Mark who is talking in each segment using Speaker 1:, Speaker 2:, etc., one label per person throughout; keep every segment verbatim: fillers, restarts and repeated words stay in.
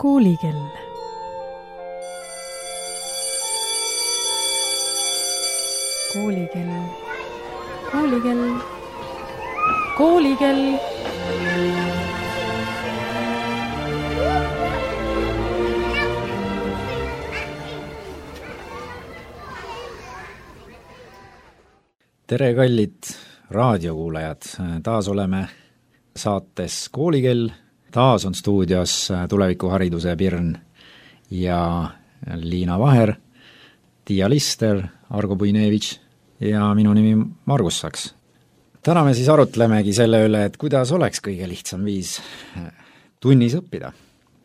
Speaker 1: Koolikell. Koolikell. Koolikell. Koolikell.
Speaker 2: Tere, kallid raadiokuulajad! Taas oleme saates Koolikell. Taas on stuudios tulevikuhariduse Pirn ja Liina Vaher, Tiia Lister, Argo Puinevitš ja minu nimi Margus Saks. Täna me siis arutlemegi selle üle, et kuidas oleks kõige lihtsam viis tunnis õppida.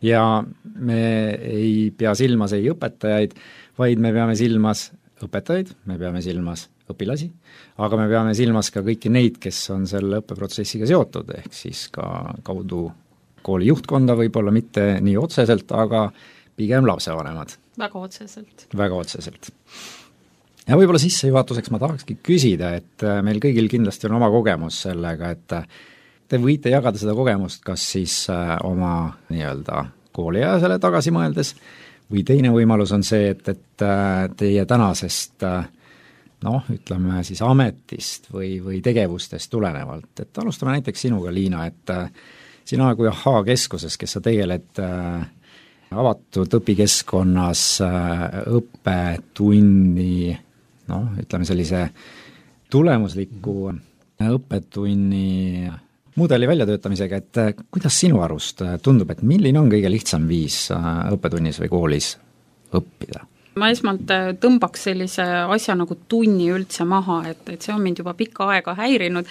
Speaker 2: Ja me ei pea silmas ei õpetajaid, vaid me peame silmas õpetajaid, me peame silmas õpilasi, aga me peame silmas ka kõiki neid, kes on selle õppeprotsessiga seotud, ehk siis ka kaudu kooli juhtkonda, võib-olla mitte nii otseselt, aga pigem lapsevanemad.
Speaker 3: Väga otseselt.
Speaker 2: Väga otseselt. Ja võib-olla sissejuhatuseks ma tahakski küsida, et meil kõigil kindlasti on oma kogemus sellega, et te võite jagada seda kogemust kas siis oma nii-öelda kooliajasele tagasi mõeldes, või teine võimalus on see, et, et teie tänasest noh, ütleme siis ametist või, või tegevustest tulenevalt. Et alustame näiteks sinuga, Liina, et sina kui Ahhaa keskuses, kes sa tegeled avatud õpikeskkonnas õppetunni, noh, ütleme sellise tulemusliku õppetunni mudeli väljatöötamisega, et kuidas sinu arust tundub, et milline on kõige lihtsam viis õppetunnis või koolis õppida?
Speaker 3: Ma esmalt tõmbaks sellise asja nagu tunni üldse maha, et, et see on mind juba pikka aega häirinud.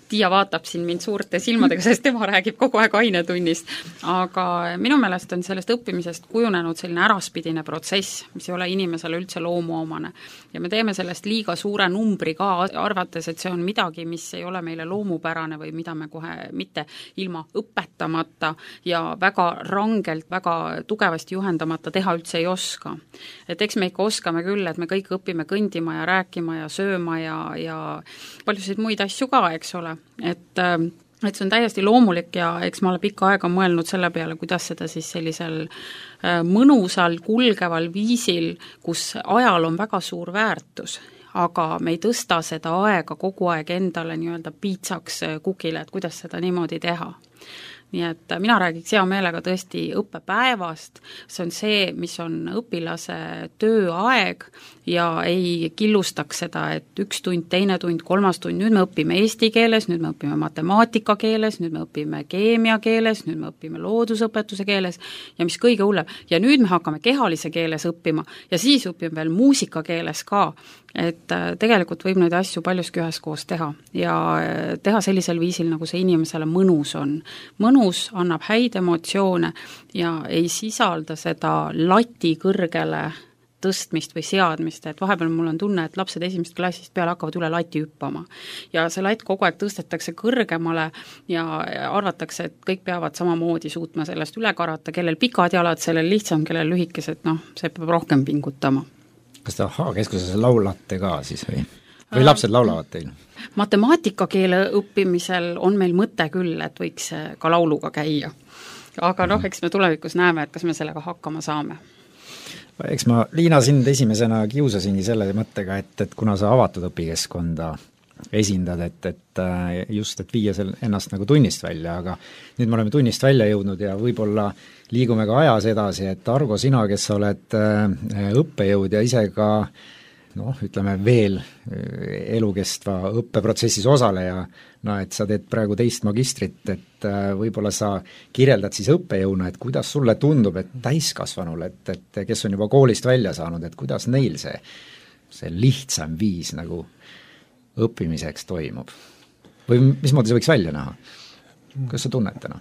Speaker 3: Tiia vaatab siin mind suurte silmadega, sest tema räägib kogu aeg ainetunnist. Aga minu meelest on sellest õppimisest kujunenud selline äraspidine protsess, mis ei ole inimesele üldse loomuomane. Ja me teeme sellest liiga suure numbri ka, arvates, et see on midagi, mis ei ole meile loomupärane või mida me kohe mitte ilma õpetamata ja väga rangelt, väga tugevasti juhendamata teha üldse ei oska. Et eks me ikka oskame küll, et me kõik õpime kõndima ja rääkima ja sööma ja, ja paljusid muid asju ka, eks ole. Et, et see on täiesti loomulik ja eks ma olen pikka aega mõelnud selle peale, kuidas seda siis sellisel mõnusal, kulgeval viisil, kus ajal on väga suur väärtus, aga me ei tõsta seda aega kogu aeg endale nii-öelda piitsaks kukile, et kuidas seda niimoodi teha. Nii et mina räägiks hea meelega tõesti õppepäevast, see on see, mis on õpilase tööaeg ja ei killustaks seda, et üks tund, teine tund, kolmas tund, nüüd me õpime eesti keeles, nüüd me õpime matemaatika keeles, nüüd me õpime keemia keeles, nüüd me õpime loodusõpetuse keeles ja mis kõige hullem. Ja nüüd me hakkame kehalise keeles õppima ja siis õpime veel muusika keeles ka. Et tegelikult võib neid asju paljuski üheskoos teha ja teha sellisel viisil, nagu see inimesele mõnus on. Mõnus annab häid emotsioone ja ei sisalda seda lati kõrgele tõstmist või seadmist, et vahepeal mul on tunne, et lapsed esimesest klassist peale hakkavad üle lati hüppama. Ja see latt kogu aeg tõstetakse kõrgemale ja arvatakse, et kõik peavad samamoodi suutma sellest üle karata, kellel pikad jalad, sellel lihtsam, kellel lühikesed, noh, see peab rohkem pingutama.
Speaker 2: Kas te Ahhaa keskuses laulate ka siis või? Või lapsed laulavad teil?
Speaker 3: Matemaatikakeele õppimisel on meil mõte küll, et võiks ka lauluga käia. Aga noh, eks me tulevikus näeme, et kas me sellega hakkama saame.
Speaker 2: Eks ma, Liina, sind esimesena kiusasingi selle mõttega, et, et kuna sa avatud õpikeskkonda esindad, et, et just, et viia sel, ennast nagu tunnist välja, aga nüüd me oleme tunnist välja jõudnud ja võib-olla liigume ka ajas edasi, et Argo, sina, kes sa oled õppejõud ja ise ka noh, ütleme veel elukestva õppeprotsessis osaleja, no et sa teed praegu teist magistrit, et võib-olla sa kirjeldad siis õppejõuna, et kuidas sulle tundub, et täiskasvanul, et, et kes on juba koolist välja saanud, et kuidas neil see, see lihtsam viis nagu õppimiseks toimub? Või mismoodi see võiks välja näha? Kas sa tunned täna?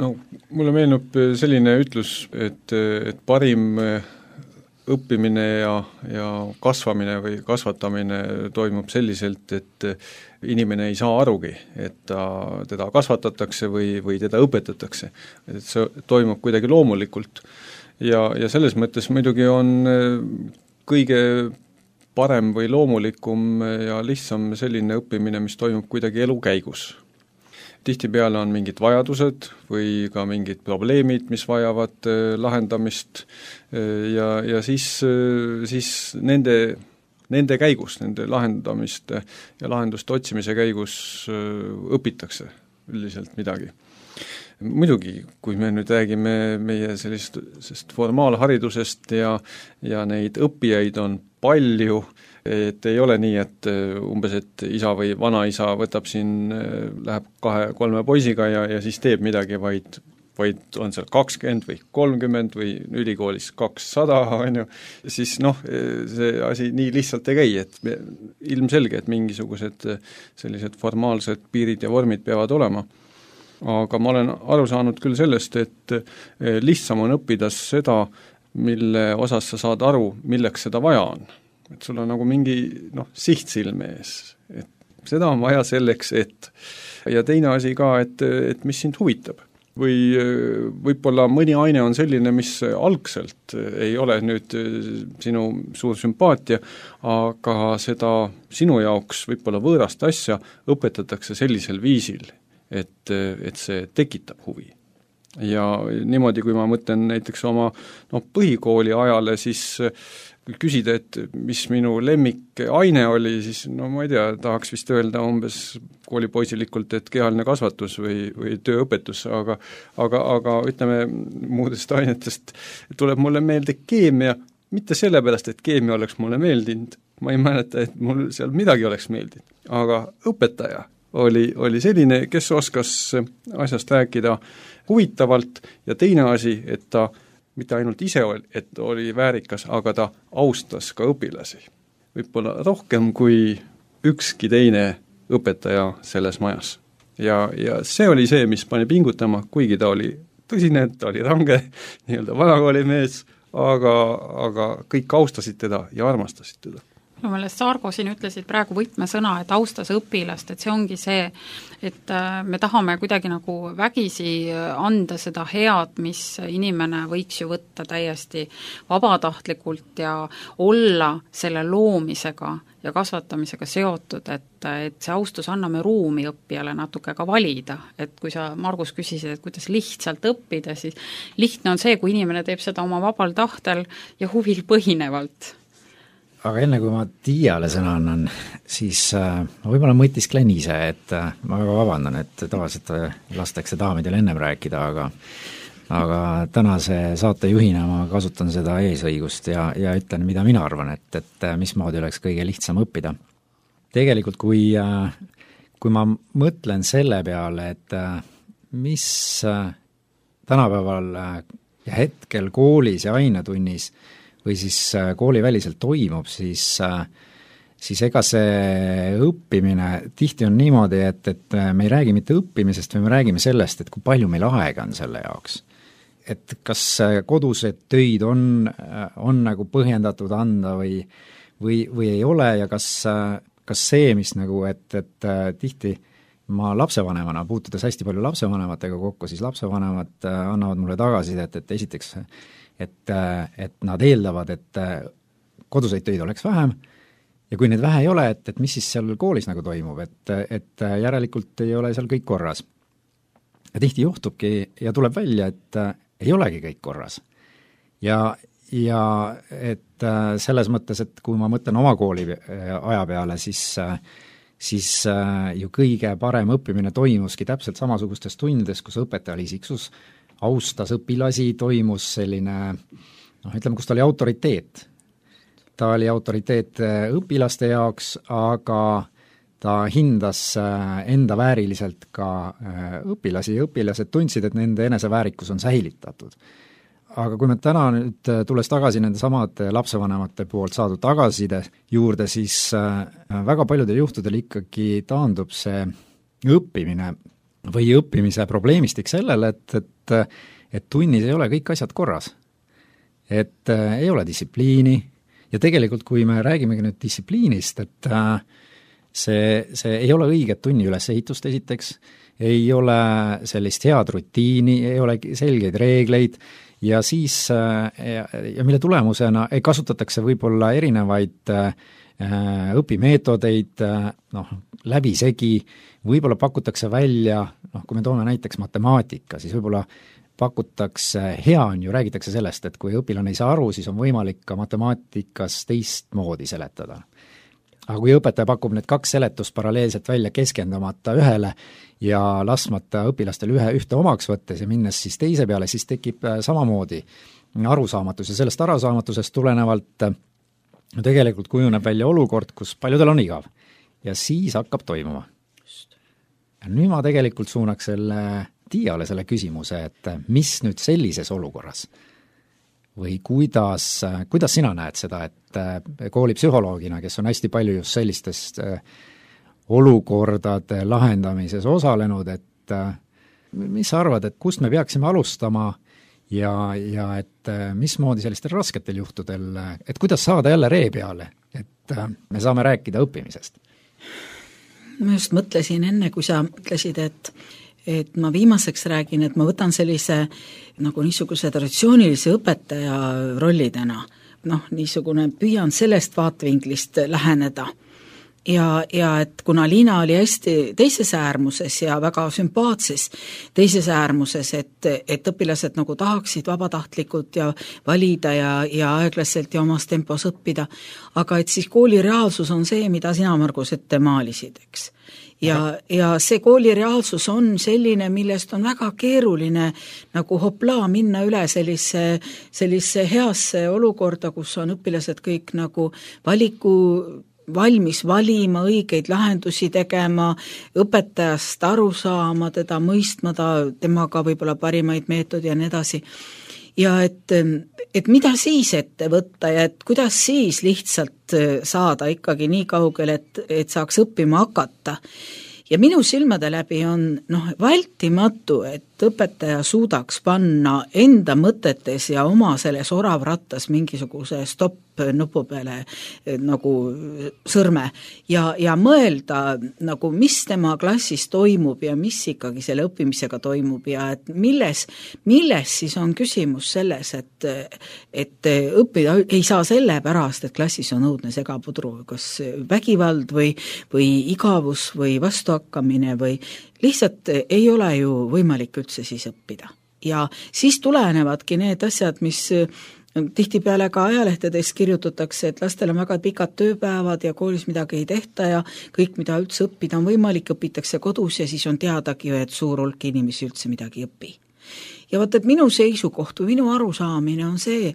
Speaker 4: No, mulle meenub selline ütlus, et, et parim õppimine ja, ja kasvamine või kasvatamine toimub selliselt, et inimene ei saa arugi, et ta, teda kasvatatakse või, või teda õpetatakse. Et see toimub kuidagi loomulikult. Ja, ja selles mõttes muidugi on kõige parem või loomulikum ja lihtsam selline õppimine, mis toimub kuidagi elu käigus. tihtipeale on mingid vajadused või ka mingid probleemid, mis vajavad lahendamist ja, ja siis, siis nende, nende käigus, nende lahendamiste ja lahenduste otsimise käigus õpitakse üldiselt midagi. Muidugi, kui me nüüd räägime meie sellisest formaalharidusest ja, ja neid õppijaid on palju, et ei ole nii, et umbes, et isa või vanaisa võtab siin, läheb kahe-kolme poisiga ja, ja siis teeb midagi, vaid, vaid on seal kakskümmend või kolmkümmend või ülikoolis kakssada, on ju, siis noh, see asi nii lihtsalt ei käi, et me, ilmselge, et mingisugused sellised formaalsed piirid ja vormid peavad olema. Aga ma olen aru saanud küll sellest, et lihtsam on õppida seda, mille osas sa saad aru, milleks seda vaja on. Et sul on nagu mingi noh, siht silme ees, et seda on vaja selleks, et ja teine asi ka, et, et mis sind huvitab. Või võib-olla mõni aine on selline, mis algselt ei ole nüüd sinu suur sümpaatia, aga seda sinu jaoks võib-olla võõrast asja õpetatakse sellisel viisil, et, et see tekitab huvi. Ja niimoodi, kui ma mõtlen näiteks oma no, põhikooli ajale, siis kui küsida, et mis minu lemmik aine oli, siis no ma ei tea, tahaks vist öelda umbes koolipoisilikult, et kehaline kasvatus või, või tööõpetus, aga, aga, aga ütleme, muudest ainetest tuleb mulle meelde keemia, mitte sellepärast, et keemia oleks mulle meeldinud, ma ei mäleta, et mul seal midagi oleks meeldinud, aga õpetaja oli, oli selline, kes oskas asjast rääkida huvitavalt ja teine asi, et ta mitte ainult ise oli, et oli väärikas, aga ta austas ka õpilasi. Võib-olla rohkem kui ükski teine õpetaja selles majas. Ja, ja see oli see, mis pani pingutama, kuigi ta oli tõsine, ta oli range, nii-öelda vanakooli mees, aga, aga kõik austasid teda ja armastasid teda.
Speaker 3: Minu meelest Saargo siin ütlesid praegu võtmesõna, et austas õpilast, et see ongi see, et me tahame kuidagi nagu vägisi anda seda head, mis inimene võiks ju võtta täiesti vabatahtlikult ja olla selle loomisega ja kasvatamisega seotud, et, et see austus anname ruumi õppijale natuke ka valida, et kui sa, Margus, küsisid, et kuidas lihtsalt õppida, siis lihtne on see, kui inimene teeb seda oma vabal tahtel ja huvil põhinevalt.
Speaker 2: Aga enne kui ma Tiiale sõna annan, siis äh, ma võib-olla mõtisklen ise, et äh, ma väga vabandan, et tavaliselt lastakse daamidel ennem rääkida, aga aga tänase saatejuhina ma kasutan seda eesõigust ja, ja ütlen, mida mina arvan, et, et mismoodi oleks kõige lihtsam õppida. Tegelikult, kui, äh, kui ma mõtlen selle peale, et äh, mis äh, tänapäeval äh, ja hetkel koolis ja ainetunnis või siis kooliväliselt toimub, siis, siis ega see õppimine tihti on niimoodi, et, et me ei räägi mitte õppimisest, või me räägime sellest, et kui palju meil aega on selle jaoks. Et kas kodused töid on, on nagu põhjendatud anda või, või, või ei ole ja kas, kas see, mis nagu, et, et tihti ma lapsevanemana, puutudes hästi palju lapsevanematega kokku, siis lapsevanemad annavad mulle tagasisidet, et, et esiteks et, et nad eeldavad, et koduseid töid oleks vähem ja kui neid vähe ei ole, et, et mis siis seal koolis nagu toimub, et, et järelikult ei ole seal kõik korras. Ja tihti juhtubki ja tuleb välja, et ei olegi kõik korras. Ja, ja et selles mõttes, et kui ma mõtlen oma kooli aja peale, siis, siis ju kõige parem õppimine toimuski täpselt samasugustes tundides, kus õpetaja oli isiksus, austas õpilasi, toimus selline, noh, ütleme, kus ta oli autoriteet. Ta oli autoriteet õpilaste jaoks, aga ta hindas enda vääriliselt ka õpilasi ja õpilased tundsid, et nende eneseväärikus on säilitatud. Aga kui me täna nüüd tulles tagasi nende samade lapsevanemate poolt saadud tagasiside juurde, siis väga paljudel juhtudel ikkagi taandub see õppimine või õppimise probleemistik sellele, et, et, et tunnis ei ole kõik asjad korras. Et äh, ei ole distsipliini ja tegelikult, kui me räägimegi nüüd distsipliinist, et äh, see, see ei ole õiget tunni ülesehitust esiteks, ei ole sellist head rutiini, ei ole selgeid reegleid ja siis äh, ja, ja mille tulemusena ei kasutatakse võib-olla erinevaid äh, õpimeetodeid, noh, läbisegi, võib-olla pakutakse välja, noh, kui me toome näiteks matemaatika, siis võib-olla pakutakse, hea on ju, räägitakse sellest, et kui õpilane ei saa aru, siis on võimalik ka matemaatikas teistmoodi seletada. Aga kui õpetaja pakub need kaks seletust paralleelselt välja keskendumata ühele ja laskmata õpilastel ühe ühte omaks võttes ja minnes siis teise peale, siis tekib samamoodi arusaamatus ja sellest arusaamatusest tulenevalt tegelikult kujuneb välja olukord, kus paljudel on igav ja siis hakkab toimuma. Ja nüüd ma tegelikult suunaks selle Tiiale selle küsimuse, et mis nüüd sellises olukorras või kuidas, kuidas sina näed seda, et koolipsühholoogina, kes on hästi palju just sellistest olukordade lahendamises osalenud, et mis sa arvad, et kust me peaksime alustama ja, ja et mismoodi sellistel rasketel juhtudel, et kuidas saada jälle ree peale, et me saame rääkida õppimisest?
Speaker 5: Ma just mõtlesin enne, kui sa ütlesid, et et ma viimaseks räägin, et ma võtan sellise nagu niisuguse traditsioonilise õpetaja rollidena, noh, niisugune püüan sellest vaatevinklist läheneda. Ja, ja et kuna Liina oli hästi teises äärmuses ja väga sümpaatses teises äärmuses, et, et õpilased nagu tahaksid vabatahtlikult ja valida ja, ja aeglaselt ja omas tempos õppida, aga et siis kooli reaalsus on see, mida sina, Margus, ette maalisid, eks. Ja, ja see kooli reaalsus on selline, millest on väga keeruline nagu hoplaa minna üle sellise, sellise heasse olukorda, kus on õpilased kõik nagu valiku valmis valima, õigeid lahendusi tegema, õpetajast aru saama, teda mõistma, ta, temaga võib-olla parimaid meetodi ja nii edasi. Ja et, et mida siis ette võtta ja et kuidas siis lihtsalt saada ikkagi nii kaugel, et, et saaks õppima hakata. Ja minu silmade läbi on noh, vältimatu, et õpetaja suudaks panna enda mõtetes ja oma selles oravrattas mingisuguse stopp nupu peale nagu sõrme ja, ja mõelda nagu mis tema klassis toimub ja mis ikkagi selle õppimisega toimub ja et milles, milles siis on küsimus selles, et, et õppida ei saa selle pärast, et klassis on õudne segapudru, kas vägivald või, või igavus või vastuhakkamine või lihtsalt ei ole ju võimalik üldse siis õppida. Ja siis tulenevadki need asjad, mis tihtipeale ka ajalehtedes kirjutatakse, et lastel on väga pikad tööpäevad ja koolis midagi ei tehta ja kõik, mida üldse õppida on võimalik, õpitakse kodus ja siis on teadagi, et suur hulk inimesi üldse midagi õpi. Ja vaat, et minu seisukoht või minu arusaamine on see,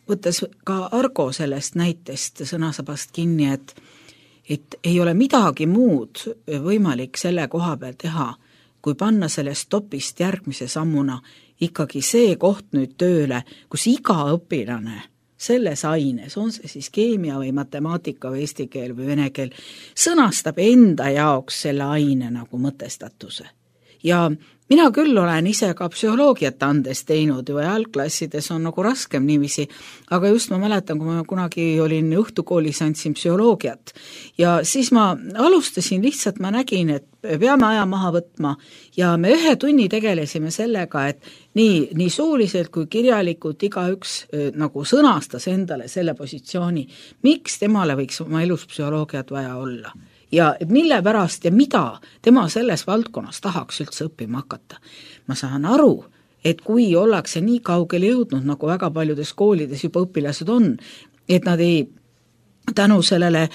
Speaker 5: võttes ka Argo sellest näitest sõnasabast kinni, et et ei ole midagi muud võimalik selle koha peal teha, kui panna sellest topist järgmise sammuna ikkagi see koht nüüd tööle, kus iga õpilane selles aines, on see siis keemia või matemaatika või eesti keel või vene keel, sõnastab enda jaoks selle aine nagu mõtestatuse. Ja mina küll olen ise ka psühholoogiat andes teinud ja algklassides on nagu raskem niiviisi, aga just ma mäletan, kui ma kunagi olin õhtukoolis, andsin psühholoogiat ja siis ma alustasin lihtsalt, ma nägin, et peame aja maha võtma ja me ühe tunni tegelesime sellega, et nii, nii suuliselt kui kirjalikult igaüks nagu sõnastas endale selle positsiooni, miks temale võiks oma elus psühholoogiat vaja olla. Ja mille pärast ja mida tema selles valdkonnas tahaks üldse õppima hakata. Ma saan aru, et kui ollakse nii kaugele jõudnud, nagu väga paljudes koolides juba õpilased on, et nad ei tänu sellele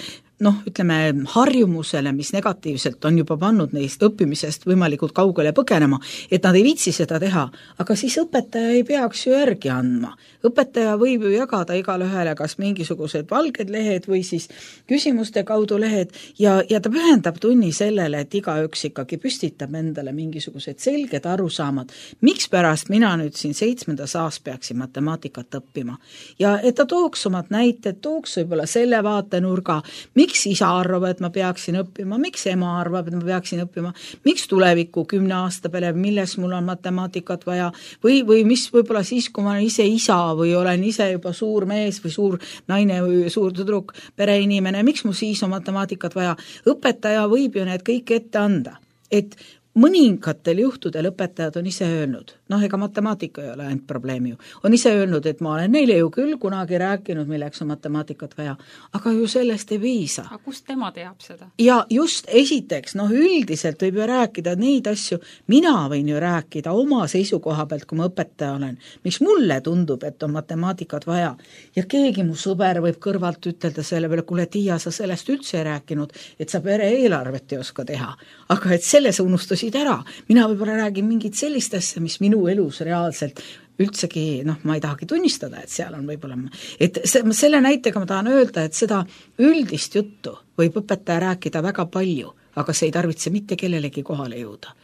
Speaker 5: noh, ütleme, harjumusele, mis negatiivselt on juba pannud neist õppimisest võimalikult kaugele põgenema, et nad ei viitsi seda teha, aga siis õpetaja ei peaks ju järgi andma. Õpetaja võib ju jagada igale ühele kas mingisugused valged lehed või siis küsimuste kaudu lehed ja, ja ta pühendab tunni sellele, et igaüks ikkagi püstitab endale mingisugused selged arusaamad, miks pärast mina nüüd siin seitsmendas aas peaksin matemaatikat õppima. Ja et ta tooks omad näited, tooks võib-olla selle vaatenurga, miks miks isa arvab, et ma peaksin õppima, miks ema arvab, et ma peaksin õppima, miks tuleviku kümne aasta peale, milles mul on matemaatikat vaja, või, või mis võib-olla siis, kui ma olen ise isa või olen ise juba suur mees või suur naine või suur tüdruk, pereinimene, miks mul siis on matemaatikat vaja? Õpetaja võib ju need kõik ette anda, et mõningatel juhtudel õpetajad on ise öelnud, noh, ega matemaatika ei ole ainult probleem ju, on ise öelnud, et ma olen neile ju küll kunagi rääkinud, milleks on matemaatikat vaja, aga ju sellest ei piisa.
Speaker 3: aga kust tema teab seda?
Speaker 5: Ja just esiteks, noh, üldiselt võib ju rääkida neid asju, mina võin ju rääkida oma seisukoha pealt, kui ma õpetaja olen, miks mulle tundub, et on matemaatikat vaja. Ja keegi mu sõber võib kõrvalt ütelda selle peale, kuule, Tiia, sa sellest üldse ei rääkinud, et sa pere eelarvet ei oska teha, aga et selle sa unustasid ära. Mina võib-olla räägin mingit sellist asja, mis minu elus reaalselt üldsegi, noh, ma ei tahagi tunnistada, et seal on võib-olla, et selle näitega ma tahan öelda, et seda üldist juttu võib õpetaja rääkida väga palju, aga see ei tarvitse mitte kellelegi kohale jõuda.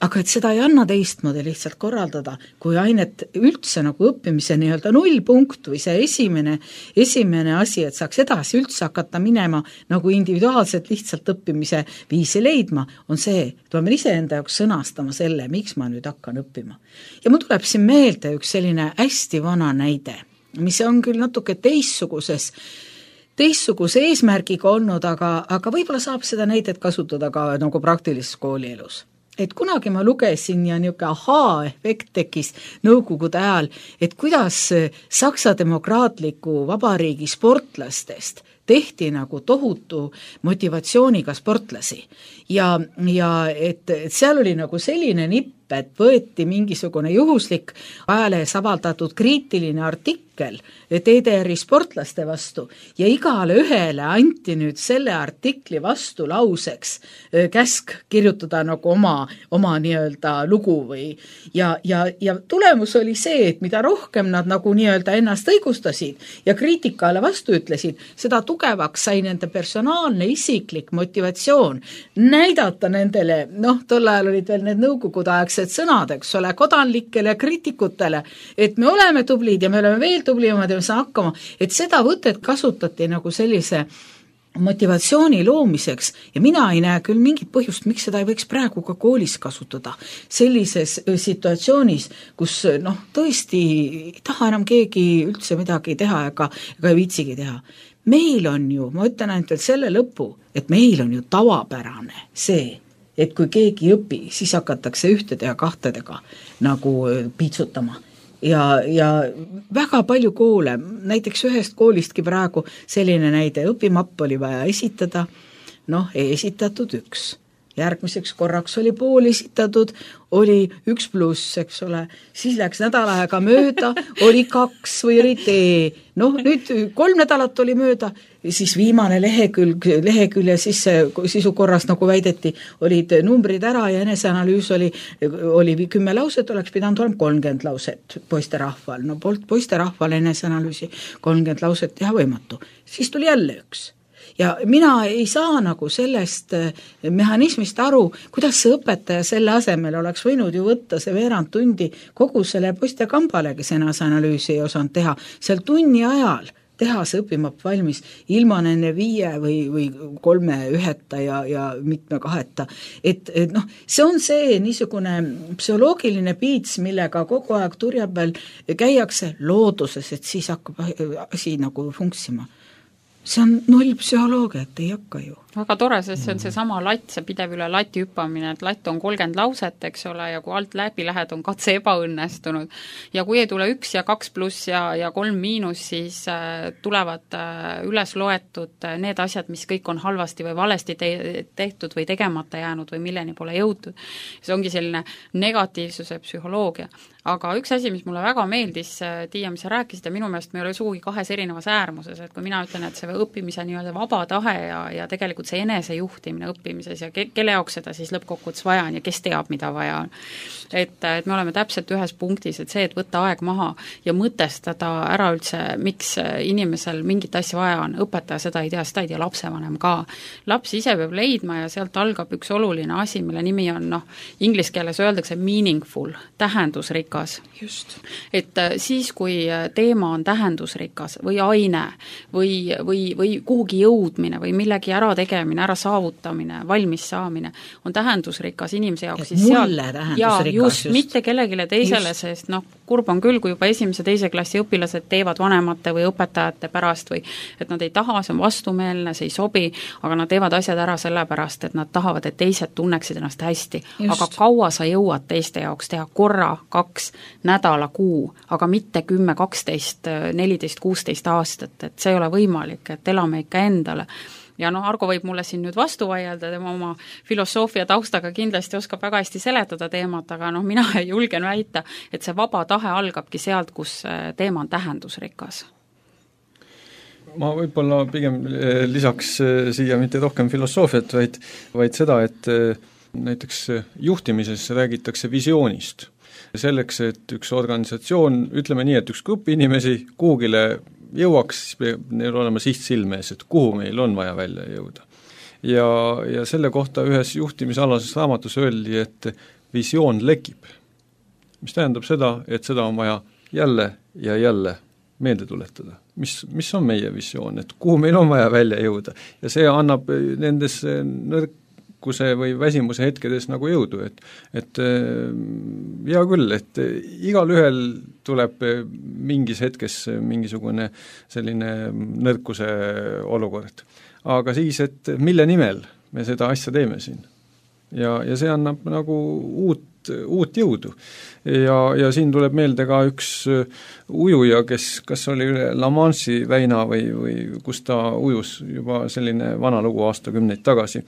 Speaker 5: Aga et seda ei anna teistmoodi lihtsalt korraldada, kui ainet üldse nagu õppimise nii-öelda nullpunkt või see esimene, esimene asi, et saaks edasi üldse hakata minema nagu individuaalselt lihtsalt õppimise viisi leidma, on see, et ma pean ise enda jaoks sõnastama selle, miks ma nüüd hakkan õppima. Ja mul tuleb siin meelde üks selline hästi vana näide, mis on küll natuke teistsuguses teistsuguse eesmärgiga olnud, aga, aga võib-olla saab seda näidet kasutada ka nagu praktilises koolielus. Et kunagi ma lugesin ja niisugune ahaa-efekt tekkis nõukogude ajal, et kuidas Saksa demokraatliku vabariigi sportlastest tehti nagu tohutu motivatsiooniga sportlasi. Ja, ja et, et seal oli nagu selline nipp, et võeti mingisugune juhuslik ajalehes avaldatud kriitiline artikkel T D R-i sportlaste vastu ja igale ühele anti nüüd selle artikli vastu lauseks käsk kirjutada nagu oma, oma nii-öelda lugu või ja, ja, ja tulemus oli see, et mida rohkem nad nagu nii-öelda ennast õigustasid ja kriitikale vastu ütlesid, seda tugevaks sai nende personaalne isiklik motivatsioon näidata nendele, noh, tol ajal olid veel need nõukogude aegsed sõnad, eks ole, kodanlikele kriitikutele, et me oleme tublid ja me oleme veel tublimad ja me saame hakkama, et seda võtet kasutati nagu sellise motivatsiooni loomiseks ja mina ei näe küll mingit põhjust, miks seda ei võiks praegu ka koolis kasutada. Sellises situatsioonis, kus noh, tõesti ei taha enam keegi üldse midagi teha ega, ega ei viitsigi teha. Meil on ju, ma ütlen ainult veel selle lõpu, et meil on ju tavapärane see, et kui keegi õpi, siis hakatakse ühtede ja kahtedega nagu piitsutama. Ja, ja väga palju koole, näiteks ühest koolistki praegu selline näide, õpimapp oli vaja esitada, noh, ei esitatud üks. Järgmiseks korraks oli pool esitatud, oli üks pluss, eks ole, siis läks nädal aega mööda, oli kaks või oli tee, noh nüüd kolm nädalat oli mööda, siis viimane lehekülg, lehekülje sisse sisukorras nagu väideti, olid numbrid ära ja eneseanalüüs oli, oli kümme lauset, oleks pidanud olema kolmkümmend lauset poisterahval, no poisterahval eneseanalüüsi kolmkümmend lauset teha võimatu, siis tuli jälle üks. Ja mina ei saa nagu sellest mehhanismist aru, kuidas see õpetaja selle asemel oleks võinud ju võtta see veerand tundi kogu selle poiste kambale, kes eneseanalüüsi ei osanud teha, seal tunni ajal teha see õpimapp valmis ilma nende viie või, või kolme üheta ja, ja mitme kaheta. Et, et noh, see on see niisugune psühholoogiline piits, millega kogu aeg turja peal käiakse looduses, et siis hakkab asi nagu funksima. See on null psühholoogia, et ei hakka ju.
Speaker 3: Väga tore, sest see on see sama latt, see pidev üle lati hüppamine, et latt on kolmkümmend lauset, eks ole, ja kui alt läbi lähed, on katse ebaõnnestunud. Ja kui ei tule üks ja kaks pluss ja, ja kolm miinus, siis äh, tulevad äh, üles loetud äh, need asjad, mis kõik on halvasti või valesti te- tehtud või tegemata jäänud või milleni pole jõutud. See ongi selline negatiivsuse psühholoogia. Aga üks asi, mis mulle väga meeldis, Tiia, mis sa rääkisid, ja minu meelest me ei ole sugugi kahes erinevas äärmuses, et kui mina ütlen, et see õppimise nii-öelda vaba tahe ja, ja tegelikult see enesejuhtimine õppimises ja ke, kelle jaoks seda siis lõppkokkuvõttes vaja on ja kes teab, mida vaja on. Et, et me oleme täpselt ühes punktis, et see, et võtta aeg maha ja mõtestada ära üldse, miks inimesel mingit asja vaja on, õpetaja seda ei tea, seda ei tea lapsevanem ka. Laps ise peab leidma ja sealt algab üks oluline asi, mille nimi on, noh, inglise keeles öeldakse meaningful, tähendusrikas.
Speaker 5: Just.
Speaker 3: Et siis, kui teema on tähendusrikas või aine või, või, või kuhugi jõudmine või millegi ära tegemine, ära saavutamine, valmis saamine, on tähendusrikas inimese jaoks,
Speaker 5: siis seal, ja just, just,
Speaker 3: mitte kellegile teisele, just. Sest noh, kurb on küll, kui juba esimese teise klassi õpilased teevad vanemate või õpetajate pärast või et nad ei taha, see on vastumeelne, see ei sobi, aga nad teevad asjad ära sellepärast, et nad tahavad, et teised tunneksid ennast hästi. Just. Aga kaua sa jõuad teiste jaoks teha korra, kaks, nädala, kuu, aga mitte kümme, kaksteist, neliteist, kuusteist aastat, et see ei ole võimalik, et elame ikka endale. Ja noh, Argo võib mulle siin nüüd vastu vaielda, tema oma filosoofia taustaga kindlasti oskab väga hästi seletada teemat, aga noh, mina julgen väita, et see vaba tahe algabki sealt, kus teema on tähendusrikas.
Speaker 4: Ma võib-olla pigem lisaks siia mitte rohkem filosoofiat, vaid, vaid seda, et näiteks juhtimises räägitakse visioonist. Selleks, et üks organisatsioon, ütleme nii, et üks grupp inimesi kuhugile jõuaks, siis peab neil olema siht silme ees, et kuhu meil on vaja välja jõuda. Ja, ja selle kohta ühes juhtimisalases raamatus öeldi, et visioon lekib. Mis tähendab seda, et seda on vaja jälle ja jälle meelde tuletada. Mis, mis on meie visioon, et kuhu meil on vaja välja jõuda. Ja see annab nendes nõrkuse või väsimuse hetkedes nagu jõudu, et, et hea küll, et igal ühel tuleb mingis hetkes mingisugune selline nõrkuse olukord. Aga siis, et mille nimel me seda asja teeme siin. Ja, ja see annab nagu uut, uut jõudu. Ja, ja siin tuleb meelde ka üks ujuja, kes kas oli üle La Manche'i väina või, või kus ta ujus juba selline vana lugu aastakümneid tagasi.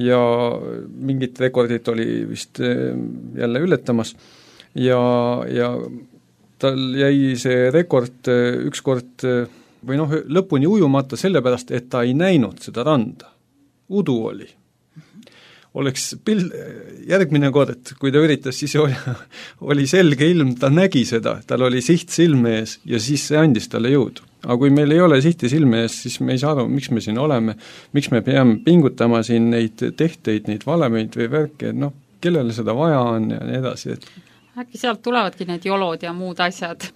Speaker 4: Ja mingit rekordit oli vist jälle ületamas ja, ja tal jäi see rekord ükskord või noh, lõpuni ujumata sellepärast, et ta ei näinud seda randa. Udu oli. Oleks pil-, järgmine kord, kui ta üritas, siis oli, oli selge ilm, ta nägi seda, tal oli siht silme ees ja siis see andis talle jõudu. Aga kui meil ei ole sihti silme ees, siis me ei saa aru, miks me siin oleme, miks me peame pingutama siin neid tehteid, neid valemeid või värke, et noh, kellele seda vaja on ja nii edasi. Et...
Speaker 3: äkki sealt tulevadki need jolod ja muud asjad?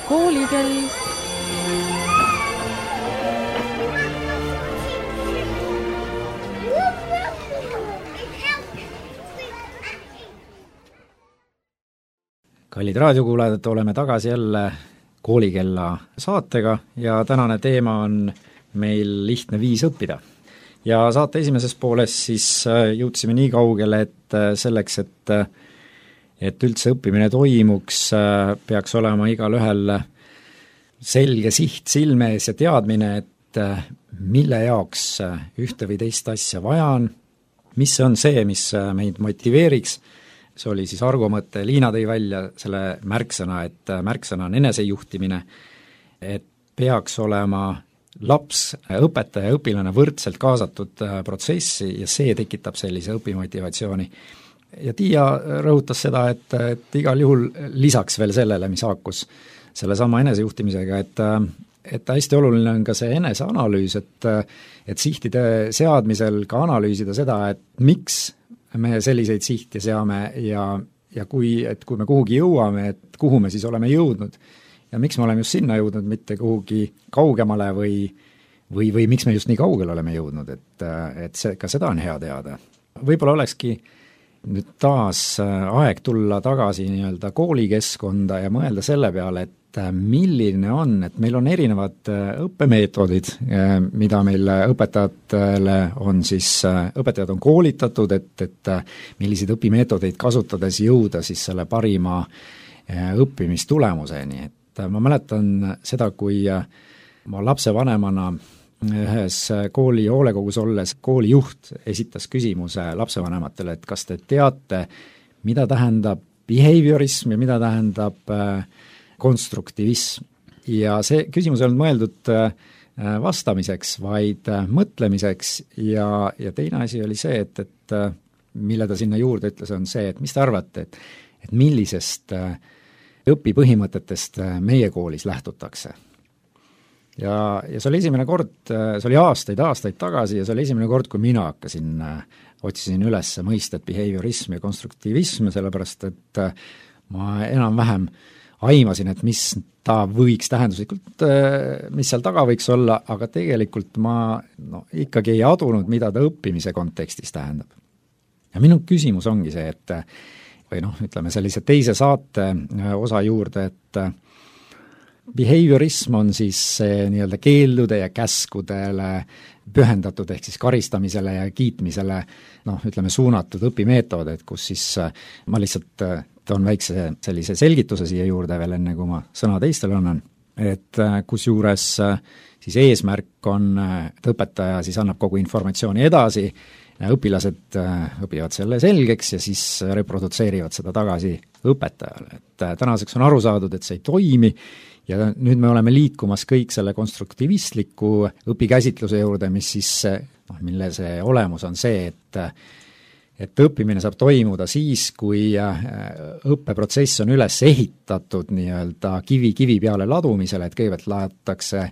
Speaker 1: Koolikell.
Speaker 2: Kallid raadiokuulajad, oleme tagasi jälle Koolikella saatega ja tänane teema on meil lihtne viis õppida. Ja saate esimeses pooles siis jõudsime nii kaugele, et selleks, et, et üldse õppimine toimuks, peaks olema igal ühel selge siht silme ees ja teadmine, et mille jaoks ühte või teist asja vaja on, mis on see, mis meid motiveeriks. See oli siis Argo mõte, Liina tõi välja selle märksõna, et märksõna on enesejuhtimine, et peaks olema laps, õpetaja ja õpilane võrdselt kaasatud protsessi ja see tekitab sellise õpimotivatsiooni. Ja Tiia rõhutas seda, et, et igal juhul lisaks veel sellele, mis haakus selle sama enesejuhtimisega, et, et hästi oluline on ka see eneseanalüüs, et, et sihtide seadmisel ka analüüsida seda, et miks me selliseid sihti seame ja, ja kui, et kui me kuhugi jõuame, et kuhu me siis oleme jõudnud ja miks me oleme just sinna jõudnud, mitte kuhugi kaugemale või, või, või miks me just nii kaugele oleme jõudnud, et, et see, ka seda on hea teada. Võib-olla olekski nüüd taas aeg tulla tagasi nii-öelda koolikeskkonda ja mõelda selle peale, et milline on, et meil on erinevad õppemeetodid, mida meil õpetajatele on siis, õpetajad on koolitatud, et, et milliseid õpimeetodeid kasutades jõuda siis selle parima õppimistulemuseni, et ma mäletan seda, kui ma lapsevanemana ühes kooli hoolekogus olles koolijuht esitas küsimuse lapsevanematele, et kas te teate, mida tähendab behaviorism ja mida tähendab konstruktivism. Ja see küsimus ei olnud mõeldud vastamiseks, vaid mõtlemiseks ja, ja teine asi oli see, et, et mille ta sinna juurde ütles, on see, et mis te arvate, et, et millisest õpipõhimõtetest meie koolis lähtutakse. Ja, ja see oli esimene kord, see oli aastaid, aastaid tagasi ja see oli esimene kord, kui mina hakkasin, otsisin üles mõistet behaviorism ja konstruktivism, sellepärast et ma enam-vähem aimasin, et mis ta võiks tähenduslikult, mis seal taga võiks olla, aga tegelikult ma no, ikkagi ei adunud, mida ta õppimise kontekstis tähendab. Ja minu küsimus ongi see, et või noh, ütleme sellise teise saate osa juurde, et behaviorism on siis nii-öelda keeldude ja käskudele pühendatud, ehk siis karistamisele ja kiitmisele noh, ütleme suunatud õpimeetod, et kus siis ma lihtsalt toon väikse sellise selgituse siia juurde veel enne, kui ma sõna teistele annan, et kus juures siis eesmärk on, et õpetaja siis annab kogu informatsiooni edasi, õpilased õpivad selle selgeks ja siis reprodutseerivad seda tagasi õpetajale. Et tänaseks on aru saadud, et see ei toimi ja nüüd me oleme liikumas kõik selle konstruktivistliku õpikäsitluse juurde, mis siis, noh, mille see olemus on see, et et õppimine saab toimuda siis, kui õppeprotsess on üles ehitatud nii-öelda kivi kivi peale ladumisele, et kõigepealt laotakse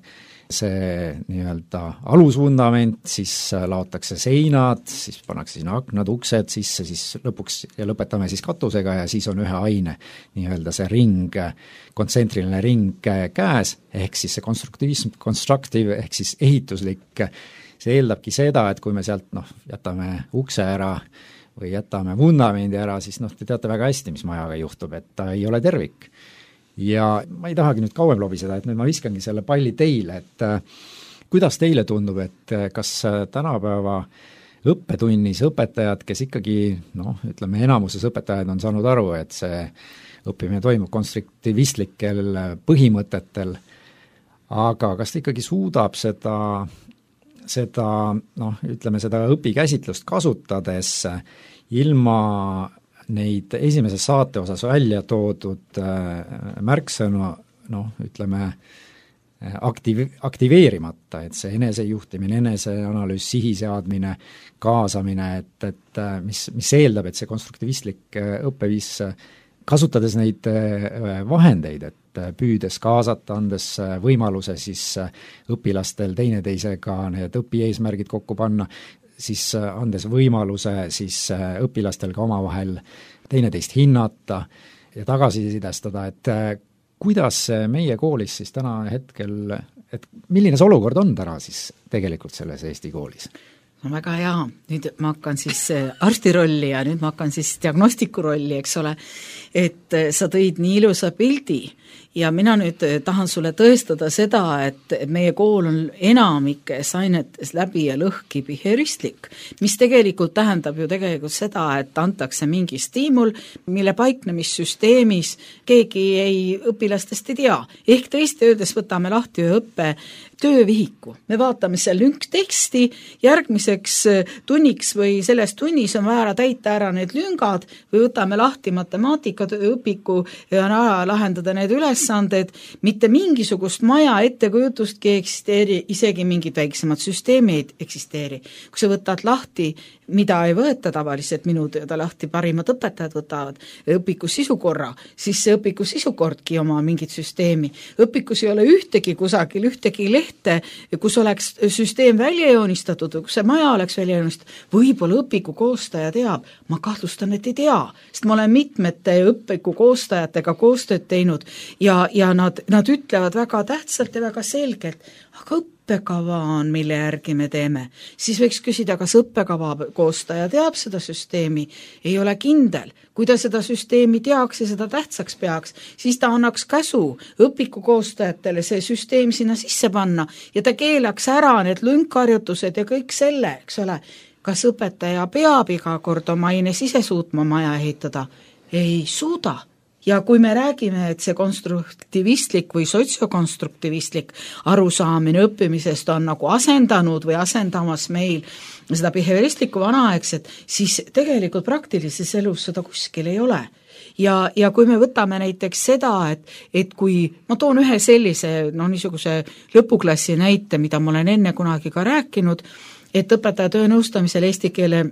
Speaker 2: see nii-öelda alusvundament, siis laotakse seinad, siis pannakse sinna aknad, uksed sisse, siis lõpuks ja lõpetame siis katusega ja siis on ühe aine nii-öelda see ring, kontsentriline ring käes, ehk siis see konstruktivism, constructive ehk siis ehituslik, see eeldabki seda, et kui me sealt noh, jätame ukse ära või jätame vundamendi ära, siis noh, te teate väga hästi, mis majaga juhtub, et ta ei ole tervik. Ja ma ei tahagi nüüd kauem lobiseda, et nüüd ma viskangi selle palli teile, et äh, kuidas teile tundub, et äh, kas tänapäeva õppetunnis õpetajad, kes ikkagi, noh, ütleme enamuses õpetajad on saanud aru, et see õppimine toimub konstruktivistlikel põhimõtetel, aga kas ta ikkagi suudab seda seda, noh, ütleme seda õpikäsitlust kasutades ilma neid esimeses saate osas välja toodud märksõnu, noh, ütleme aktiv-, aktiveerimata, et see enesejuhtimine, eneseanalüüs, sihiseadmine, kaasamine, et, et mis, mis eeldab, et see konstruktivistlik õppeviis, kasutades neid vahendeid, et püüdes kaasata, andes võimaluse siis õpilastel teineteisega need õpieesmärgid kokku panna, siis andes võimaluse siis õpilastel ka omavahel teineteist hinnata ja tagasisidestada, et kuidas meie koolis siis täna hetkel, et milline see olukord on täna siis tegelikult selles Eesti koolis?
Speaker 5: No väga hea, nüüd ma hakkan siis arsti rolli ja nüüd ma hakkan siis diagnostiku rolli, eks ole, et sa tõid nii ilusa pildi ja mina nüüd tahan sulle tõestada seda, et meie kool on enamikes ainetes läbi ja lõhki behavioristlik, mis tegelikult tähendab ju tegelikult seda, et antakse mingi stiimul, mille paiknemissüsteemis keegi ei, õpilastest ei tea. Ehk tõesti öeldes võtame lahti ühe õppe töövihiku. Me vaatame seal lünkteksti, järgmiseks tunniks või selles tunnis on vaja täita ära need lüngad või võtame lahti matemaatika õpiku ja lahendada need ülesanded, mitte mingisugust maja ettekujutustki eksisteeri, isegi mingid väiksemad süsteemid eksisteeri. Kui sa võtad lahti, mida ei võeta tavaliselt, minu teada lahti parimad õpetajad võtavad õpiku sisukorra, siis see õpiku sisukordki oma mingit süsteemi. Õpikus ei ole ühtegi kusagil, ühtegi lehte, kus oleks süsteem välja joonistatud, kus see maja oleks välja joonistatud, võib-olla õpiku koostaja teab, ma kahtlustan, et ei tea, sest ma olen mitmete õpiku koostajatega koostööd teinud ja, ja nad, nad ütlevad väga tähtsalt ja väga selgelt, aga õppekava on, mille järgi me teeme. Siis võiks küsida, kas õppekava koostaja teab seda süsteemi, ei ole kindel. Kui ta seda süsteemi teaks ja seda tähtsaks peaks, siis ta annaks käsu õpiku koostajatele see süsteem sinna sisse panna ja ta keelaks ära need lünkharjutused ja kõik selle, eks ole. Kas õpetaja peab iga kord oma aines ise suutma maja ehitada? Ei suuda. Ja kui me räägime, et see konstruktivistlik või sotsiokonstruktivistlik arusaamine õppimisest on nagu asendanud või asendamas meil seda behavioristlikku vanaaegset, siis tegelikult praktilises elus seda kuskil ei ole. Ja, ja kui me võtame näiteks seda, et, et kui ma toon ühe sellise, no niisuguse lõpuklassi näite, mida ma olen enne kunagi ka rääkinud, et õpetaja töö nõustamisel eesti keele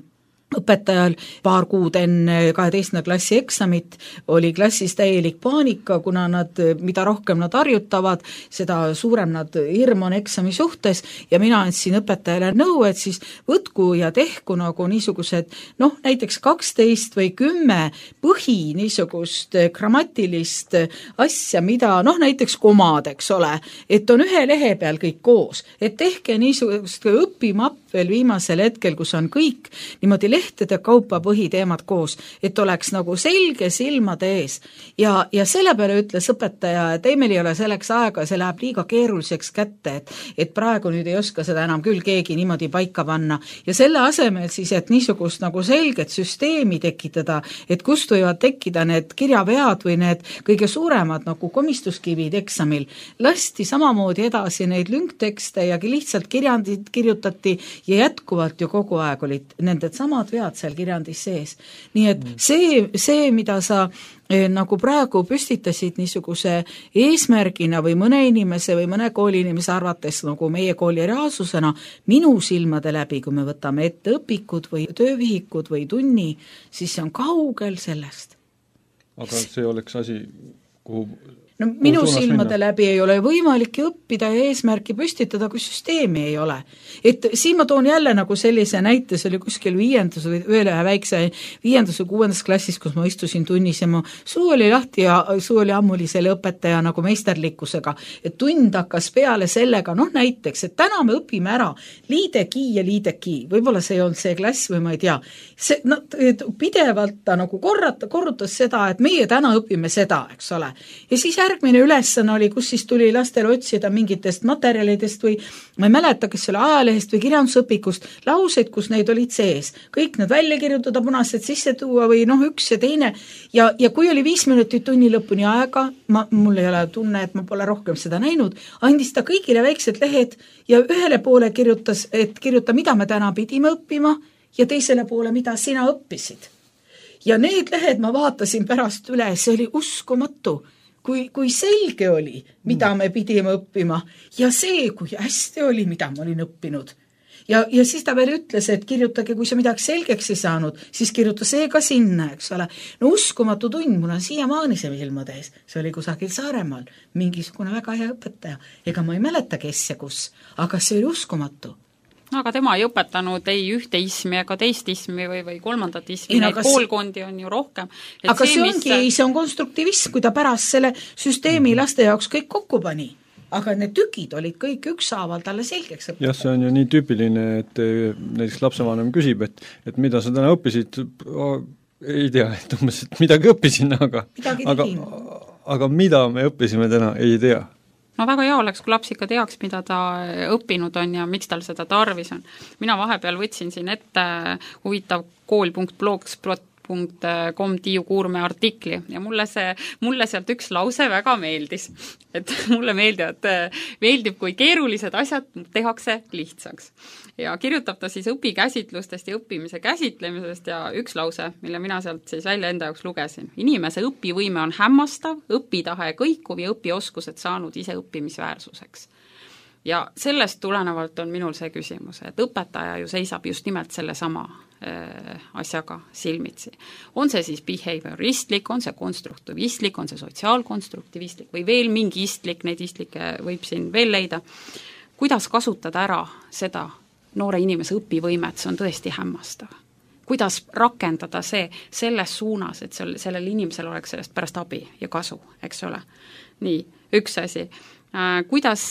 Speaker 5: õpetajal paar kuud enne kaheteistkümnenda klassi eksamit oli klassis täielik paanika, kuna nad, mida rohkem nad harjutavad, seda suurem nad hirm on eksami suhtes ja mina andsin õpetajale nõu, et siis võtku ja tehku nagu niisugused, noh näiteks kaksteist või kümme põhi niisugust grammatilist asja, mida noh näiteks komad, eks ole, et on ühe lehe peal kõik koos, et tehke niisugust õpimapp veel viimasel hetkel, kus on kõik niimoodi lehtede kaupa põhiteemad koos, et oleks nagu selge silmade ees. Ja, ja selle peale ütles õpetaja, et ei, meil ei ole selleks aega, see läheb liiga keeruliseks kätte, et, et praegu nüüd ei oska seda enam küll keegi niimoodi paika panna. Ja selle asemel siis, et niisugust nagu selget süsteemi tekitada, et kust võivad tekkida need kirjavead või need kõige suuremad nagu komistuskivid eksamil, lasti samamoodi edasi neid lünktekste ja lihtsalt kirjandid kirjutati ja jätkuvalt ju kogu aeg olid nended samad vead seal kirjandis sees. Nii et see, see mida sa eh, nagu praegu püstitasid niisuguse eesmärgina või mõne inimese või mõne kooli inimese arvates nagu meie kooli reaalsusena, minu silmade läbi, kui me võtame ette õpikud või töövihikud või tunni, siis see on kaugel sellest.
Speaker 4: Aga see oleks asi, kuhu
Speaker 5: no minu silmade minna? Läbi ei ole võimalik õppida ja eesmärki püstitada, kui süsteemi ei ole. Et siin ma toon jälle nagu sellise näite, see oli kuskil viiendus või veel ühe väikse viiendus või kuuendas klassis, kus ma istusin tunnis ja mu suu oli lahti ja suu oli ammuli selle õpetaja nagu meisterlikkusega. Et tund hakkas peale sellega, noh näiteks, et täna me õpime ära liideki ja liideki, võib-olla see ei olnud see klass või ma ei tea. See, no, pidevalt ta nagu korrata, korrutas seda, et meie täna õpime seda, eks ole. Ja siis järgmine ülesanne oli, kus siis tuli lastel otsida mingitest materjalidest või ma ei mäleta, kes oli ajalehest või kirjandusõpikust, lauseid, kus neid olid sees. Kõik need välja kirjutada, punased sisse tuua või noh, üks ja teine. Ja, ja kui oli viis minutit tunni lõpuni aega, ma, mul ei ole tunne, et ma pole rohkem seda näinud, andis ta kõigile väiksed lehed ja ühele poole kirjutas, et kirjuta, mida me täna pidime õppima ja teisele poole, mida sina õppisid. Ja need lehed ma vaatasin pärast üle, see oli uskumatu. Kui, kui selge oli, mida me pidime õppima ja see, kui hästi oli, mida ma olin õppinud. Ja, ja siis ta veel ütles, et kirjutage, kui sa midagi selgeks ei saanud, siis kirjuta see ka sinna, eks ole. No uskumatu tund, mul on siiamaani see ilmade ees. See oli kusagil Saaremaal, mingisugune väga hea õpetaja. Ega ma ei mäleta, kes ja kus, aga see oli uskumatu.
Speaker 3: no aga tema ei õpetanud ei ühte ismi ega teist ismi või, või kolmandat ismi,
Speaker 5: ei,
Speaker 3: neid
Speaker 5: kas...
Speaker 3: koolkondi on ju rohkem. Et
Speaker 5: aga see, see ongi,
Speaker 3: mis...
Speaker 5: see on konstruktivism, kui ta pärast selle süsteemi laste jaoks kõik kokku pani. Aga need tükid olid kõik ükshaaval talle selgeks õpetatud.
Speaker 4: jah, see on ju nii tüüpiline, et näiteks lapsevanem küsib, et, et mida sa täna õppisid, ei tea, et umbes, et midagi õppisin, aga aga, aga mida me õppisime täna, ei tea.
Speaker 3: No väga hea oleks, kui laps ikka teaks, mida ta õppinud on ja miks tal seda tarvis on. Mina vahepeal võtsin siin ette huvitav kool punkt blogspot punkt com Tiiu Kuurme artikli ja mulle see, mulle sealt üks lause väga meeldis. Et mulle meeldivad, meeldib, kui keerulised asjad tehakse lihtsaks. Ja kirjutab ta siis õpikäsitlustest ja õppimise käsitlemisest ja üks lause, mille mina sealt siis välja enda jaoks lugesin. Inimese õpivõime on hämmastav, õpitahe kõikuv ja õpioskused saanud ise õppimisväärsuseks. Ja sellest tulenevalt on minul see küsimus, et õpetaja ju seisab just nimelt selle sama äh, asjaga silmitsi. On see siis behavioristlik, on see konstruktivistlik, on see sotsiaalkonstruktivistlik või veel mingi istlik, neid istlikke võib siin veel leida. Kuidas kasutada ära seda noore inimese õpivõimet, see on tõesti hämmastav. Kuidas rakendada see selles suunas, et sel, sellel inimesel oleks sellest pärast abi ja kasu, eks ole. Nii, üks asi. Kuidas,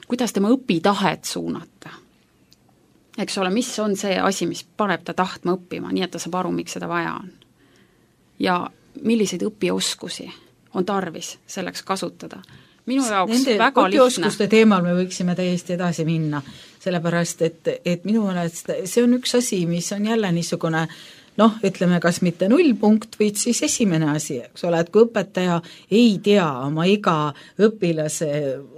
Speaker 3: kuidas tema õpitahet suunata. Eks ole, mis on see asi, mis paneb ta tahtma õppima, nii et ta saab aru, miks seda vaja on. Ja milliseid õpioskusi on tarvis selleks kasutada. Minu jaoks Nende väga lihtne.
Speaker 5: Õpioskuste teemal me võiksime täiesti edasi minna, sellepärast, et, et minu meelest see on üks asi, mis on jälle niisugune noh, ütleme, kas mitte nullpunkt, või siis esimene asi, eks ole, et kui õpetaja ei tea oma iga õpilase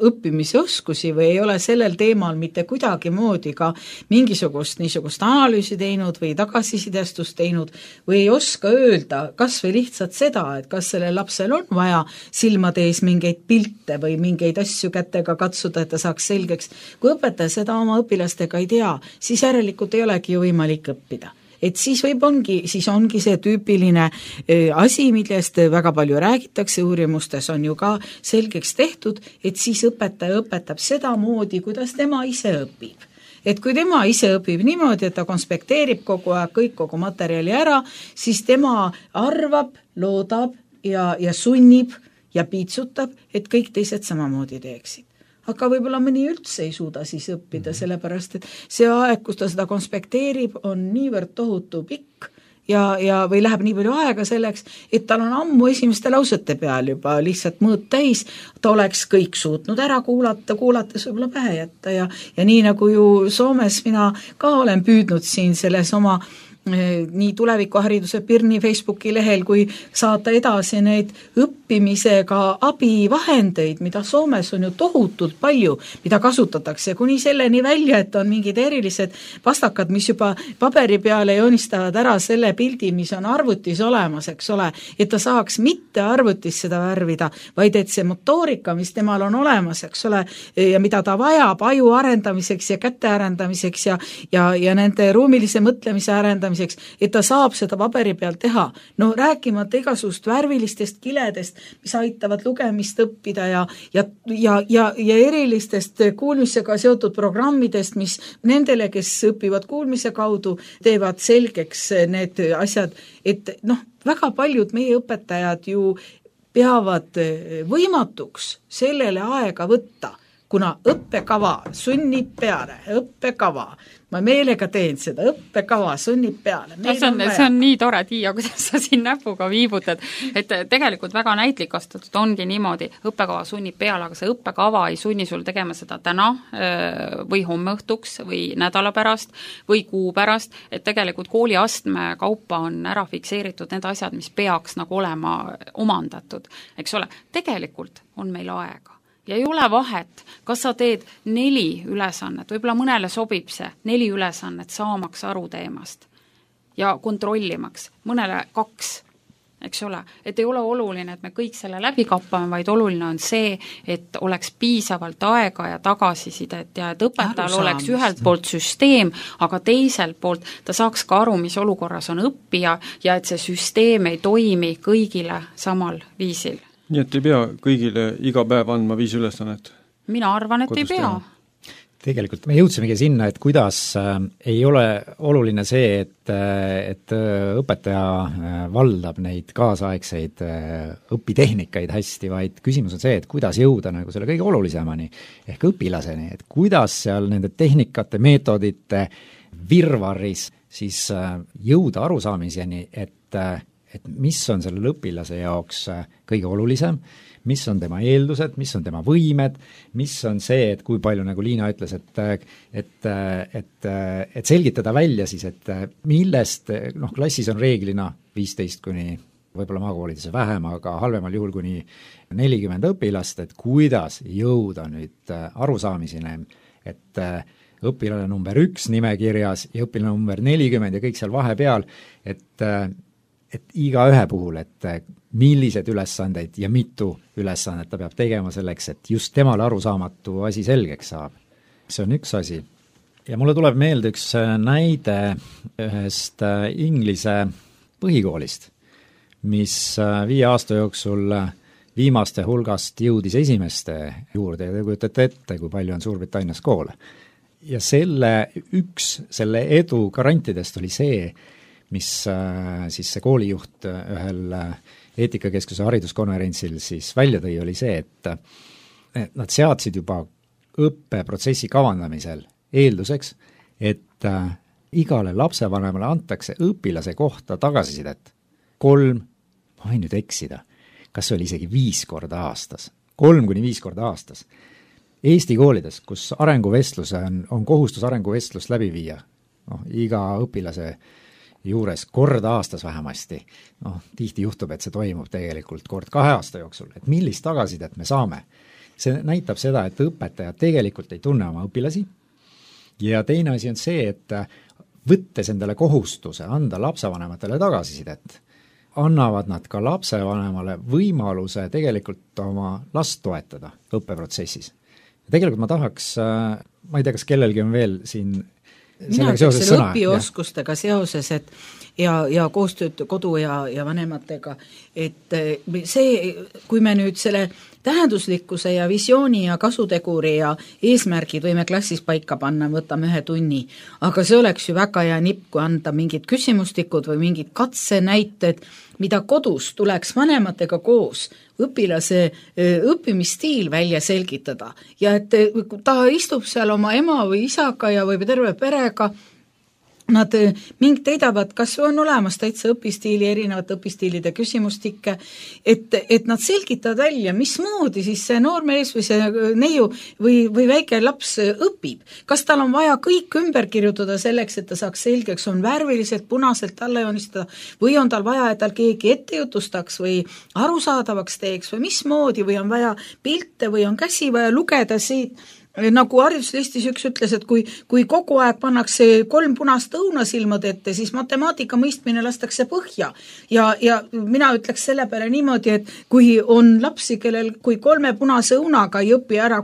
Speaker 5: õppimise oskusi või ei ole sellel teemal mitte kuidagi moodi ka mingisugust niisugust analüüsi teinud või tagasisidestust teinud või ei oska öelda kas või lihtsalt seda, et kas sellel lapsel on vaja silmade ees mingeid pilte või mingeid asju kätega katsuda, et ta saaks selgeks. Kui õpetaja seda oma õpilastega ei tea, siis järelikult ei olegi ju võimalik õppida. Et siis võib ongi, siis ongi see tüüpiline asi, millest väga palju räägitakse, uurimustes on ju ka selgeks tehtud, et siis õpetaja õpetab seda moodi, kuidas tema ise õpib. Et kui tema ise õpib niimoodi, et ta konspekteerib kogu aeg kõik kogu materjali ära, siis tema arvab, loodab ja, ja sunnib ja piitsutab, et kõik teised samamoodi teeksid. Aga võib-olla mõni üldse ei suuda siis õppida, sellepärast et see aeg, kus ta seda konspekteerib, on niivõrd tohutu pikk ja, ja või läheb nii palju aega selleks, et tal on ammu esimeste lausete peal juba lihtsalt mõõt täis, ta oleks kõik suutnud ära kuulata, kuulates võib-olla pähe jätta ja, ja nii nagu ju Soomes mina ka olen püüdnud siin selles oma nii tulevikuhariduse Pirni Facebooki lehel, kui saata edasi neid õppimisega abivahendeid, mida Soomes on ju tohutult palju, mida kasutatakse kuni selleni välja, et on mingid erilised pastakad, mis juba paberi peale joonistavad ära selle pildi, mis on arvutis olemas, eks ole, et ta saaks mitte arvutis seda värvida, vaid et see motoorika, mis temal on olemas, eks ole, ja mida ta vajab aju arendamiseks ja käte arendamiseks ja, ja, ja nende ruumilise mõtlemise arendamiseks, et ta saab seda paberi peal teha. No rääkimata igasugust värvilistest kiledest, mis aitavad lugemist õppida ja, ja, ja, ja, ja erilistest kuulmisega seotud programmidest, mis nendele, kes õpivad kuulmise kaudu, teevad selgeks need asjad, et noh, väga paljud meie õpetajad ju peavad võimatuks sellele aega võtta, kuna õppekava sunnib peale, õppekava, ma meelega teen seda, õppekava sunnib peale.
Speaker 3: No, see, on, on see on nii tore, Tiia, kuidas sa siin näpuga viibutad, et tegelikult väga näitlikastatud ongi niimoodi, õppekava sunnib peale, aga see õppekava ei sunni sul tegema seda täna või homme õhtuks või nädala pärast või kuu pärast, et tegelikult kooliastme kaupa on ära fikseeritud need asjad, mis peaks nagu olema omandatud, eks ole, tegelikult on meil aega. Ja ei ole vahet, kas sa teed neli ülesannet, võib-olla mõnele sobib see, neli ülesannet saamaks aru teemast ja kontrollimaks, mõnele kaks, eks ole, et ei ole oluline, et me kõik selle läbi kappame, vaid oluline on see, et oleks piisavalt aega ja tagasisidet ja et õpetajal oleks ühelt poolt süsteem, aga teiselt poolt ta saaks ka aru, mis olukorras on õppija ja et see süsteem ei toimi kõigile samal viisil.
Speaker 4: Nii et ei pea kõigile iga päev andma viis ülesannet?
Speaker 3: Mina arvan, et ei pea.
Speaker 2: tegelikult me jõudsimegi sinna, et kuidas äh, ei ole oluline see, et, äh, et äh, õpetaja äh, valdab neid kaasaegseid äh, õpitehnikaid hästi, vaid küsimus on see, et kuidas jõuda nagu selle kõige olulisemani ehk õpilaseni, et kuidas seal nende tehnikate, meetodite virvarris siis äh, jõuda arusaamiseni, et, äh, et mis on sellele õpilase jaoks äh, kõige olulisem, mis on tema eeldused, mis on tema võimed, mis on see, et kui palju, nagu Liina ütles, et et, et, et selgitada välja siis, et millest, noh, klassis on reeglina viisteist kuni võib-olla maakoolides vähem, aga halvemal juhul kuni nelikümmend õpilast, et kuidas jõuda nüüd arusaamiseni, et õpilane number üks nimekirjas ja õpilane number nelikümmend ja kõik seal vahepeal, et et iga ühe puhul, et millised ülesandeid ja mitu ülesannet ta peab tegema selleks, et just temale arusaamatu asi selgeks saab. See on üks asi. Ja mulle tuleb meelde üks näide ühest Inglise põhikoolist, mis viie aasta jooksul viimaste hulgast jõudis esimeste juurde ja te kujutate ette, kui palju on Suurbritannias koole. Ja selle üks, selle edu garantidest oli see, mis siis see koolijuht ühel eetikakeskuse hariduskonverentsil siis välja tõi, oli see, et nad seadsid juba õppeprotsessi kavandamisel eelduseks, et igale lapsevanemale antakse õpilase kohta tagasisidet kolm, ma võin nüüd eksida, kas oli isegi viis korda aastas, kolm kuni viis korda aastas. Eesti koolides, kus arenguvestlus on, on kohustus arenguvestlust läbi viia, noh, iga õpilase juures kord aastas vähemasti, noh, tihti juhtub, et see toimub tegelikult kord kahe aasta jooksul, et millist tagasisidet me saame. See näitab seda, et õpetajad tegelikult ei tunne oma õpilasi ja teine asi on see, et võttes endale kohustuse anda lapsevanematele tagasisidet, annavad nad ka lapsevanemale võimaluse tegelikult oma last toetada õppeprotsessis. Tegelikult ma tahaks, ma ei tea, kas kellelgi on veel siin
Speaker 5: mina ütleks selle õpioskustega seoses, et ja, ja koostööd kodu ja, ja vanematega, et see, kui me nüüd selle tähenduslikkuse ja visiooni ja kasuteguri ja eesmärgid võime klassis paika panna, võtame ühe tunni, aga see oleks ju väga hea nipp, kui anda mingid küsimustikud või mingid katsenäited, mida kodus tuleks vanematega koos õpilase õppimisstiil välja selgitada ja et ta istub seal oma ema või isaga ja või terve perega, nad ming teidavad, kas on olemas täitsa õpistiili, erinevate õpistiilide küsimustikke, et, et nad selgitavad välja, mismoodi siis see noormees või see neiu või, või väike laps õpib. Kas tal on vaja kõik ümber kirjutada selleks, et ta saaks selgeks, on värviliselt, punaselt alla joonistada või on tal vaja, et tal keegi ette jutustaks või arusaadavaks teeks või mismoodi või on vaja pilte või on käsi vaja lugeda siit, nagu hariduslistis üks ütles, et kui, kui kogu aeg pannakse kolm punast õunasilmad ette, siis matemaatika mõistmine lastakse põhja. Ja, ja mina ütleks selle peale niimoodi, et kui on lapsi, kellel kui kolme punase õunaga ei õpi ära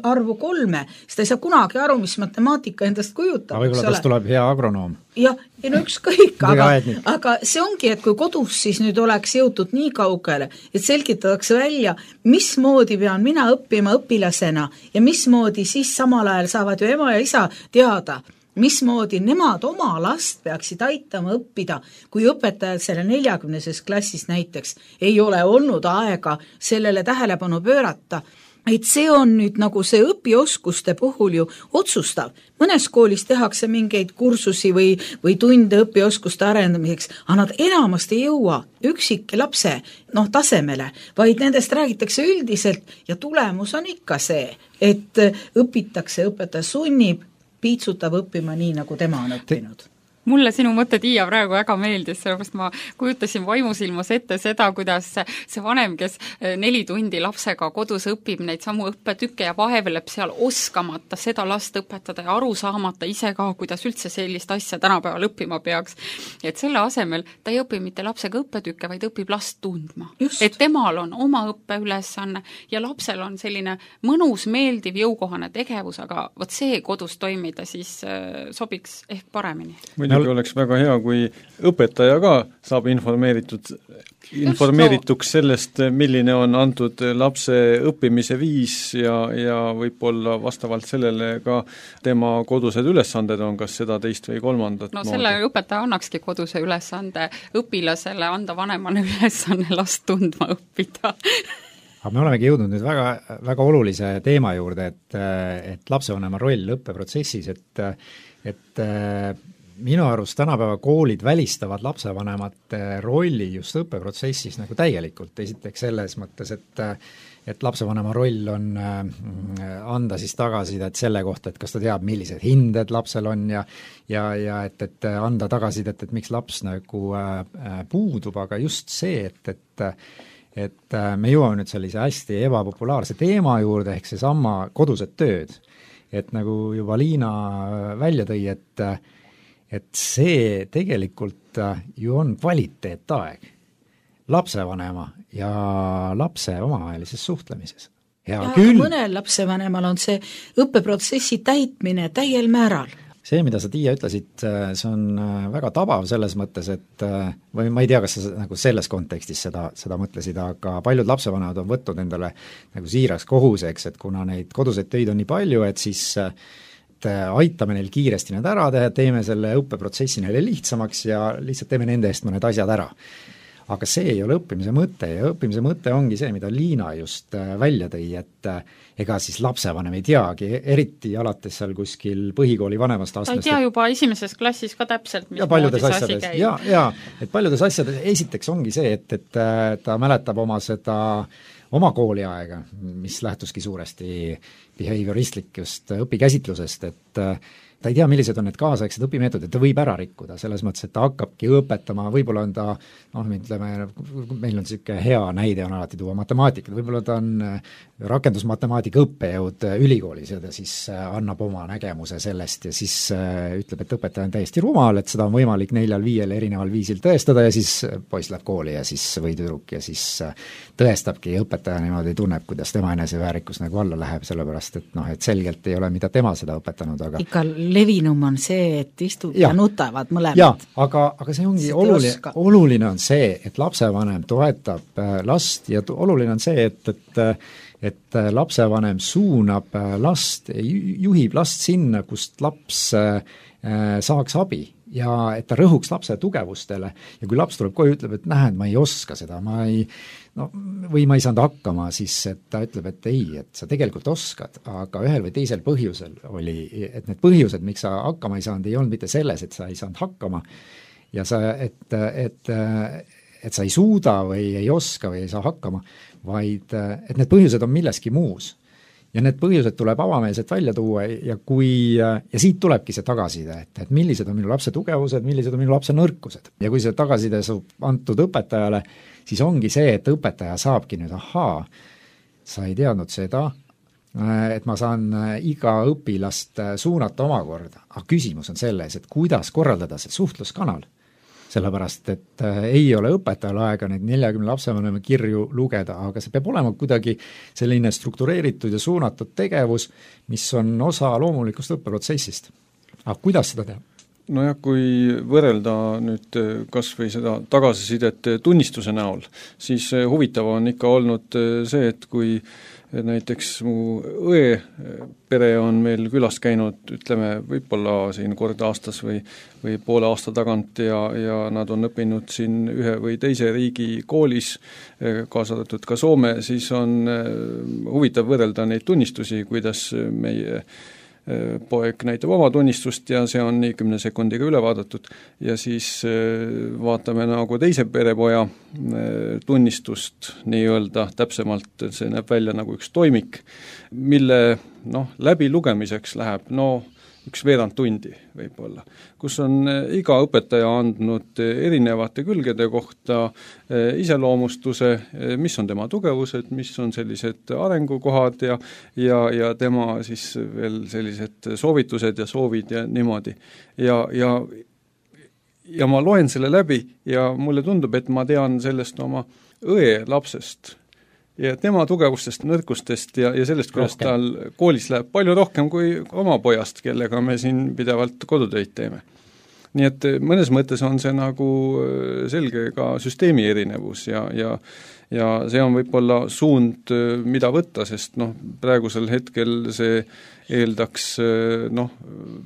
Speaker 5: arvu kolme, siis ta ei saa kunagi aru, mis matemaatika endast kujutab.
Speaker 2: Aga võib-olla tast tuleb hea agronoom.
Speaker 5: Jah, ja no ükskõik, aga, aga see ongi, et kui kodus siis nüüd oleks jõutud nii kaugele, et selgitatakse välja, mismoodi pean mina õppima õpilasena ja mismoodi siis samal ajal saavad ju ema ja isa teada, mismoodi nemad oma last peaksid aitama õppida, kui õpetajad selle neljakümneses klassis näiteks ei ole olnud aega sellele tähelepanu pöörata, et see on nüüd nagu see õpioskuste puhul ju otsustav. Mõnes koolis tehakse mingeid kursusi või, või tunde õpioskuste arendamiseks, aga nad enamasti ei jõua üksik lapse noh, tasemele, vaid nendest räägitakse üldiselt ja tulemus on ikka see, et õpitakse, õpetaja sunnib, piitsutab õppima nii, nagu tema on õppinud.
Speaker 3: Mulle sinu mõte, Tiia, praegu väga meeldis, sellepärast ma kujutasin vaimusilmas ette seda, kuidas see vanem, kes neli tundi lapsega kodus õpib neid samu õppetükke ja vaheveleb seal oskamata seda last õpetada ja aru saamata ise ka, kuidas üldse sellist asja tänapäeval õppima peaks. Et selle asemel ta ei õpi mitte lapsega õppetükke, vaid õpib last tundma. Just. Et temal on oma õppeülesanne ja lapsel on selline mõnus, meeldiv, jõukohane tegevus, aga vot see kodus toimida siis sobiks ehk paremini.
Speaker 4: Muidu muidugi oleks väga hea, kui õpetaja ka saab informeeritud, informeerituks sellest, milline on antud lapse õppimise viis ja, ja võib-olla vastavalt sellele ka tema kodused ülesanded on, kas seda teist või kolmandat
Speaker 3: no moodi. Selle õpetaja annakski koduse ülesande õpilasele, anda vanemale ülesanne last tundma õppida.
Speaker 2: Aga me olemegi jõudnud nüüd väga, väga olulise teema juurde, et, et lapsevanema roll õppeprotsessis, et, et minu arust tänapäeva koolid välistavad lapsevanemate rolli just õppeprotsessis nagu täielikult. Esiteks selles mõttes, et, et lapsevanema roll on anda siis tagasisidet selle kohta, et kas ta teab, millised hinded lapsel on ja, ja, ja et, et anda tagasisidet, et miks laps nagu puudub, aga just see, et, et et me jõuame nüüd sellise hästi ebapopulaarse teema juurde, ehk see sama kodused tööd. Et nagu juba Liina välja tõi, et, et see tegelikult ju on kvaliteetaeg lapsevanema ja lapse omavahelises suhtlemises. Ja,
Speaker 5: ja
Speaker 2: küll
Speaker 5: mõnel lapsevanemal on see õppeprotsessi täitmine täiel määral.
Speaker 2: See, mida sa, Tiia, ütlesid, see on väga tabav selles mõttes, et või ma ei tea, kas sa nagu selles kontekstis seda, seda mõtlesid, aga paljud lapsevanemad on võtnud endale nagu siiraks kohuseks, et kuna neid koduseid töid on nii palju, et siis et aitame neil kiiresti need ära teha, teeme selle õppeprotsessi neile lihtsamaks ja lihtsalt teeme nende eest mõned asjad ära. Aga see ei ole õppimise mõte ja õppimise mõte ongi see, mida Liina just välja tõi, et ega siis lapsevanem ei teagi, eriti alates seal kuskil põhikooli vanemast astmest.
Speaker 3: Ta ei tea juba esimeses klassis ka täpselt, mis
Speaker 2: moodi see asi käib. Ja, ja, et paljudes asjades esiteks ongi see, et, et ta mäletab oma seda oma kooliaega, mis lähtuski suuresti behavioristlikust õpikäsitlusest, et ta ei tea, millised on need kaasaegsed õpimeetodid, ta võib ära rikkuda, selles mõttes, et ta hakkabki õpetama, võib-olla on ta, noh, ütleme, meil on niisugune hea näide on alati tuua matemaatikat, võib-olla ta on rakendusmatemaatika õppejõud ülikoolis ja ta siis annab oma nägemuse sellest ja siis ütleb, et õpetaja on täiesti rumal, et seda on võimalik neljal-viiel erineval viisil tõestada ja siis poiss läheb kooli ja siis või tüdruk ja siis tõestabki õpetaja niimoodi tunneb, kuidas tema eneseväärikus nagu alla läheb, sellepärast et noh, et selgelt ei ole, mida tema seda õpetanud, aga
Speaker 5: ikka levinum on see, et istud ja, ja nutavad mõlemad.
Speaker 2: Jaa, aga, aga see ongi oluline, oluline on see, et lapsevanem toetab last ja oluline on see, et, et et lapsevanem suunab last, juhib last sinna, kust laps saaks abi ja et ta rõhuks lapse tugevustele ja kui laps tuleb koju ja ütleb, et näed, ma ei oska seda, ma ei no, või ma ei saanud hakkama, siis et ta ütleb, et ei, et sa tegelikult oskad, aga ühel või teisel põhjusel oli, et need põhjused, miks sa hakkama ei saanud, ei olnud mitte selles, et sa ei saanud hakkama ja sa, et, et, et sa ei suuda või ei oska või ei saa hakkama, vaid et need põhjused on milleski muus. Ja need põhjused tuleb avameelselt välja tuua ja kui, ja siit tulebki see tagasiside, et, et millised on minu lapse tugevused, millised on minu lapse nõrkused. Ja kui see tagasiside saab antud õpetajale, siis ongi see, et õpetaja saabki nüüd, ahaa, sa ei teadnud seda, et ma saan iga õpilast suunata omakorda. Aga küsimus on selles, et kuidas korraldada see suhtluskanal. Sellepärast, et ei ole õpetajal aega neid neljakümne lapsevanema kirju lugeda, aga see peab olema kuidagi selline struktureeritud ja suunatud tegevus, mis on osa loomulikust õppeprotsessist. Aga kuidas seda teha?
Speaker 4: Nojah, kui võrrelda nüüd kas või seda tagasisidet tunnistuse näol, siis huvitav on ikka olnud see, et kui näiteks mu õe pere on meil külas käinud, ütleme, võib-olla siin kord aastas või, või poole aasta tagant ja, ja nad on õppinud siin ühe või teise riigi koolis, kaasa arvatud ka Soome, siis on huvitav võrrelda neid tunnistusi, kuidas meie poeg näitab oma tunnistust ja see on nii kümne sekundiga üle vaadatud ja siis vaatame nagu teise perepoja tunnistust nii-öelda täpsemalt, see näeb välja nagu üks toimik, mille noh, läbi lugemiseks läheb no üks veerand tundi võib-olla, kus on iga õpetaja andnud erinevate külgede kohta iseloomustuse, mis on tema tugevused, mis on sellised arengukohad ja, ja, ja tema siis veel sellised soovitused ja soovid ja niimoodi. Ja, ja, ja ma loen selle läbi ja mulle tundub, et ma tean sellest oma õe lapsest ja tema tugevustest, nõrkustest ja, ja sellest, kuidas rohkem. Tal koolis läheb palju rohkem kui oma pojast, kellega me siin pidevalt kodutöid teeme. nii et mõnes mõttes on see nagu selge ka süsteemi erinevus ja, ja ja see on võib-olla suund, mida võtta, sest noh, praegusel hetkel see eeldaks noh,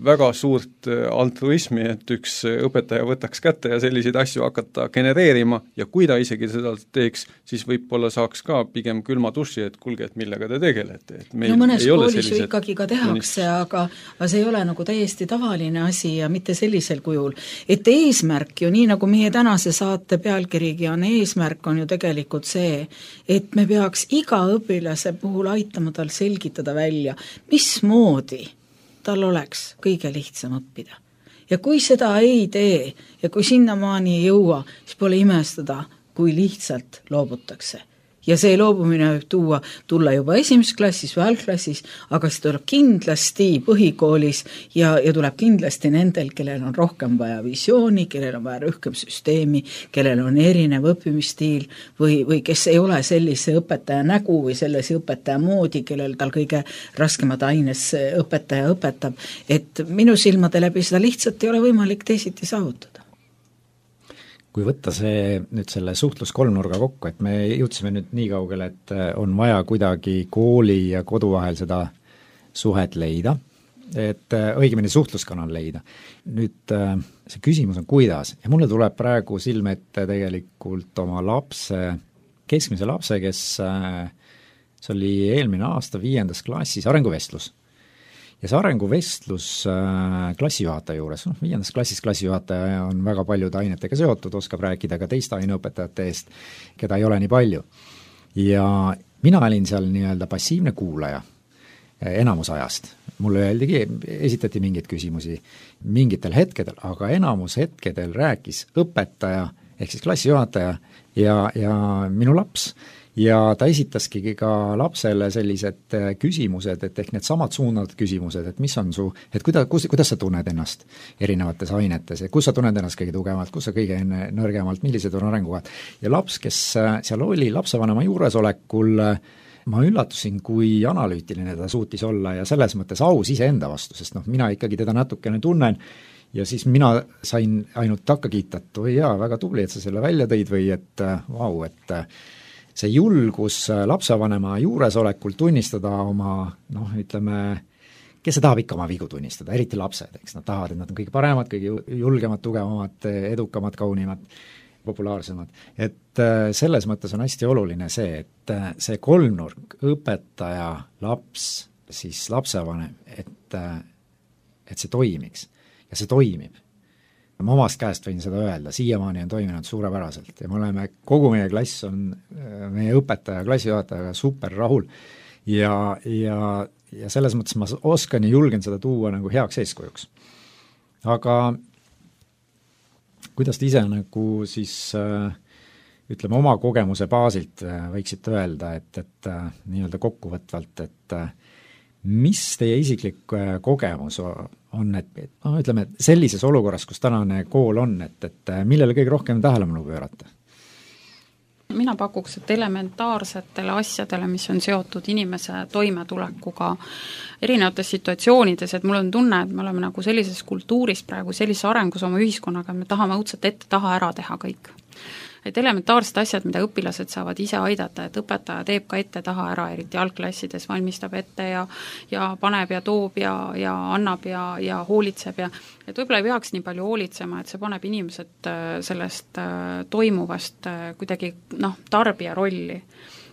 Speaker 4: väga suurt altruismi, et üks õpetaja võtaks kätte ja selliseid asju hakata genereerima ja kui ta isegi seda teeks, siis võib-olla saaks ka pigem külma duši, et kuulge, et millega te tegelete. Et
Speaker 5: no mõnes koolis ju ikkagi ka tehakse, aga, aga see ei ole nagu täiesti tavaline asi ja mitte sellisel kujul. Et eesmärk ju, nii nagu meie tänase saate pealkirigi on, eesmärk on ju tegelikult see, et me peaks iga õpilase puhul aitama tal selgitada välja, mis moodi tal oleks kõige lihtsam õppida. Ja kui seda ei tee ja kui sinnamaani ei jõua, siis pole imestada, kui lihtsalt loobutakse. Ja see loobumine võib tuua, tulla juba esimeses klassis või algklassis, aga see tuleb kindlasti põhikoolis ja, ja tuleb kindlasti nendel, kellel on rohkem vaja visiooni, kellel on vaja rohkem süsteemi, kellel on erinev õppimisstiil või, või kes ei ole sellise õpetaja nägu või sellise õpetaja moodi, kellel tal kõige raskemad aines õpetaja õpetab. Et minu silmade läbi seda lihtsalt ei ole võimalik teisiti saavutada.
Speaker 2: Kui võtta see nüüd selle suhtlus kolmnurga kokku, et me jõudsime nüüd nii kaugele, et on vaja kuidagi kooli ja kodu vahel seda suhet leida, et õigemini suhtluskanal leida. Nüüd see küsimus on kuidas ja mulle tuleb praegu silme ette tegelikult oma lapse, keskmise lapse, kes see oli eelmine aasta viiendas klassis arenguvestlus. Ja see arenguvestlus äh, klassijuhataja juures, noh, viiendas klassis klassijuhataja on väga paljude ainetega seotud, oskab rääkida ka teiste aineõpetajate eest, keda ei ole nii palju. Ja mina olin seal nii-öelda passiivne kuulaja enamus ajast. Mulle öeldigi, esitati mingeid küsimusi mingitel hetkedel, aga enamus hetkedel rääkis õpetaja, ehk siis klassijuhataja ja, ja minu laps. Ja ta esitaski ka lapsele sellised küsimused, et ehk need samad suunad küsimused, et mis on su, et kuida, kus, kuidas sa tunned ennast erinevates ainetes, kus sa tunned ennast kõige tugevalt, kus sa kõige nõrgemalt, millised on arengukohad. Ja laps, kes seal oli lapsevanema juuresolekul, ma üllatusin, kui analüütiline ta suutis olla ja selles mõttes aus iseenda vastu, sest noh, mina ikkagi teda natukene tunnen ja siis mina sain ainult takka kiita, et oi jaa, väga tubli, et sa selle välja tõid või et vau, et see julgus lapsevanema juuresolekul tunnistada oma, noh, ütleme, kes see tahab ikka oma vigu tunnistada, eriti lapsed, eks nad tahavad, et nad on kõige paremad, kõige julgemad, tugevamad, edukamad, kaunimad, populaarsemad. Et selles mõttes on hästi oluline see, et see kolmnurk, õpetaja, laps, siis lapsevanem, et, et see toimiks ja see toimib. Ma omast käest võin seda öelda, siiamaani on toiminud suurepäraselt ja me oleme, kogu meie klass on meie õpetaja, klassijuhatajaga super rahul ja, ja, ja selles mõttes ma oskan ja julgen seda tuua nagu heaks eeskujuks. Aga kuidas te ise nagu siis ütleme oma kogemuse baasilt võiksite öelda, et, et nii-öelda kokkuvõtvalt, et mis teie isiklik kogemus on, et, et no, ütleme, sellises olukorras, kus tänane kool on, et, et millele kõige rohkem tähelepanu pöörata?
Speaker 3: Mina pakuks, et elementaarsetele asjadele, mis on seotud inimese toimetulekuga erinevates situatsioonides, et mul on tunne, et me oleme nagu sellises kultuuris praegu, sellises arengus oma ühiskonnaga, et me tahame õudselt ette taha ära teha kõik. Et elementaarsed asjad, mida õpilased saavad ise aidata, et õpetaja teeb ka ette taha ära, eriti algklassides valmistab ette ja, ja paneb ja toob ja, ja annab ja, ja hoolitseb ja et võib-olla ei peaks nii palju hoolitsema, et see paneb inimesed sellest toimuvast kuidagi noh, tarbija rolli.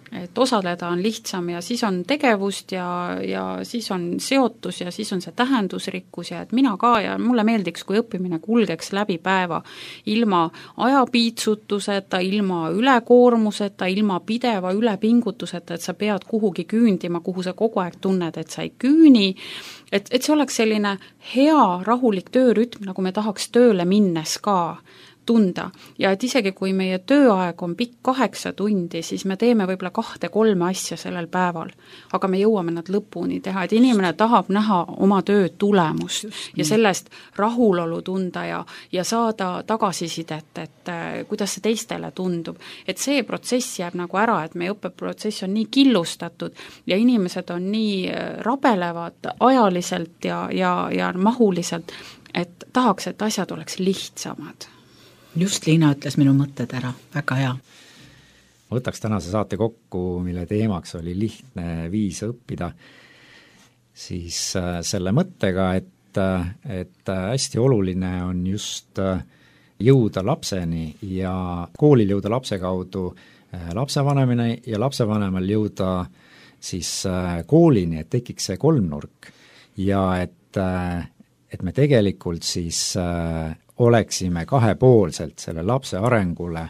Speaker 3: Et osaleda on lihtsam ja siis on tegevust ja, ja siis on seotus ja siis on see tähendusrikkus ja et mina ka ja mulle meeldiks, kui õppimine kulgeks läbi päeva ilma ajapiitsutuseta, ilma ülekoormuseta, ilma pideva ülepingutuseta, et sa pead kuhugi küündima, kuhu sa kogu aeg tunned, et sa ei küüni, et, et see oleks selline hea rahulik töörütm, nagu me tahaks tööle minnes ka. tunda ja et isegi kui meie tööaeg on pikk kaheksa tundi, siis me teeme võib-olla kahte-kolme asja sellel päeval, aga me jõuame nad lõpuni teha, et inimene tahab näha oma töö tulemust ja sellest rahulolu tunda ja, ja saada tagasisidet, et äh, kuidas see teistele tundub. Et see protsess jääb nagu ära, et meie õppeprotsess on nii killustatud ja inimesed on nii rabelevad ajaliselt ja, ja, ja mahuliselt, et tahaks, et asjad oleks lihtsamad.
Speaker 5: Just Liina ütles minu mõtted ära, väga hea.
Speaker 2: Võtaks tänase saate kokku, mille teemaks oli lihtne viis õppida, siis selle mõttega, et, et hästi oluline on just jõuda lapseni ja koolil jõuda lapse kaudu lapsevanemine ja lapsevanemal jõuda siis koolini, et tekiks see kolmnurk ja et, et me tegelikult siis oleksime kahepoolselt selle lapse arengule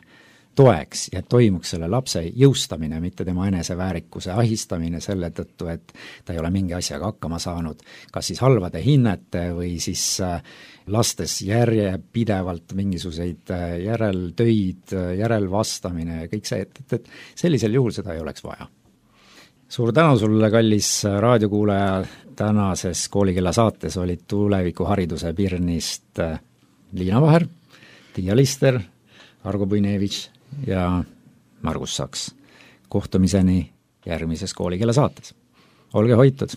Speaker 2: toeks ja toimuks selle lapse jõustamine, mitte tema eneseväärikuse ahistamine selle tõttu, et ta ei ole mingi asjaga hakkama saanud, kas siis halvade hinnete või siis lastes järjepidevalt mingisuguseid järeltöid, järelvastamine ja kõik see, et, et, et sellisel juhul seda ei oleks vaja. Suur tänu sulle, kallis raadiokuulaja, tänases Koolikella saates olid tulevikuhariduse Pirnist Liina Vaher, Tiia Lister, Argo Puinevitš ja Margus Saks. Kohtumiseni järgmises Koolikella saates. Olge hoitud!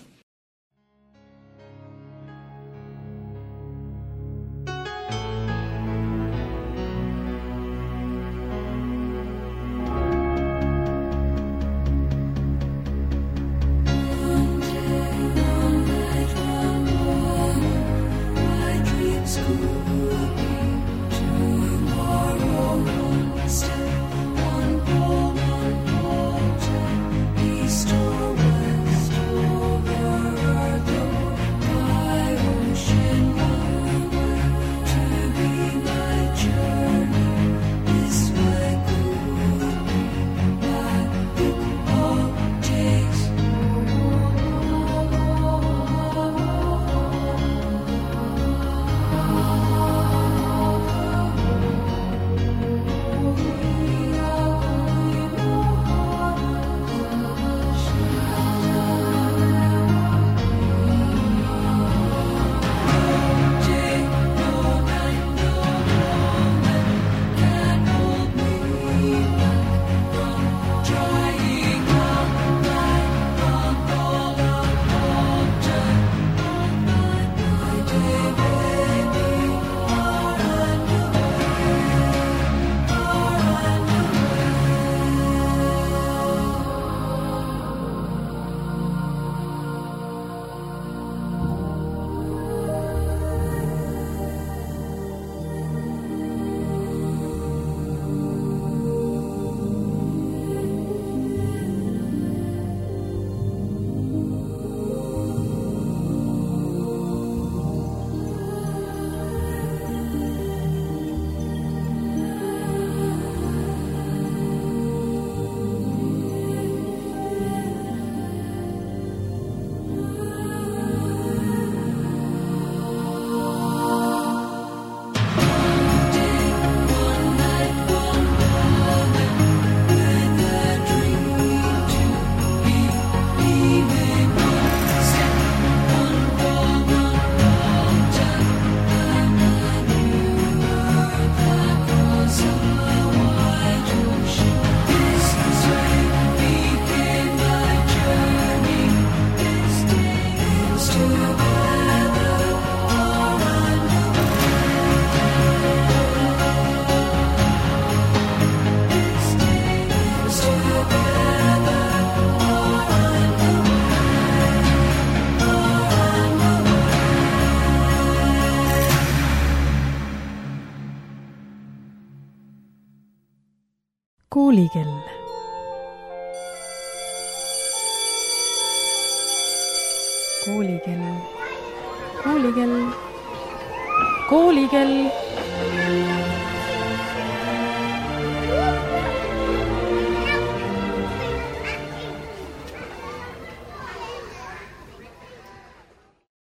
Speaker 1: Koolikell. Koolikell. Koolikell. Koolikell.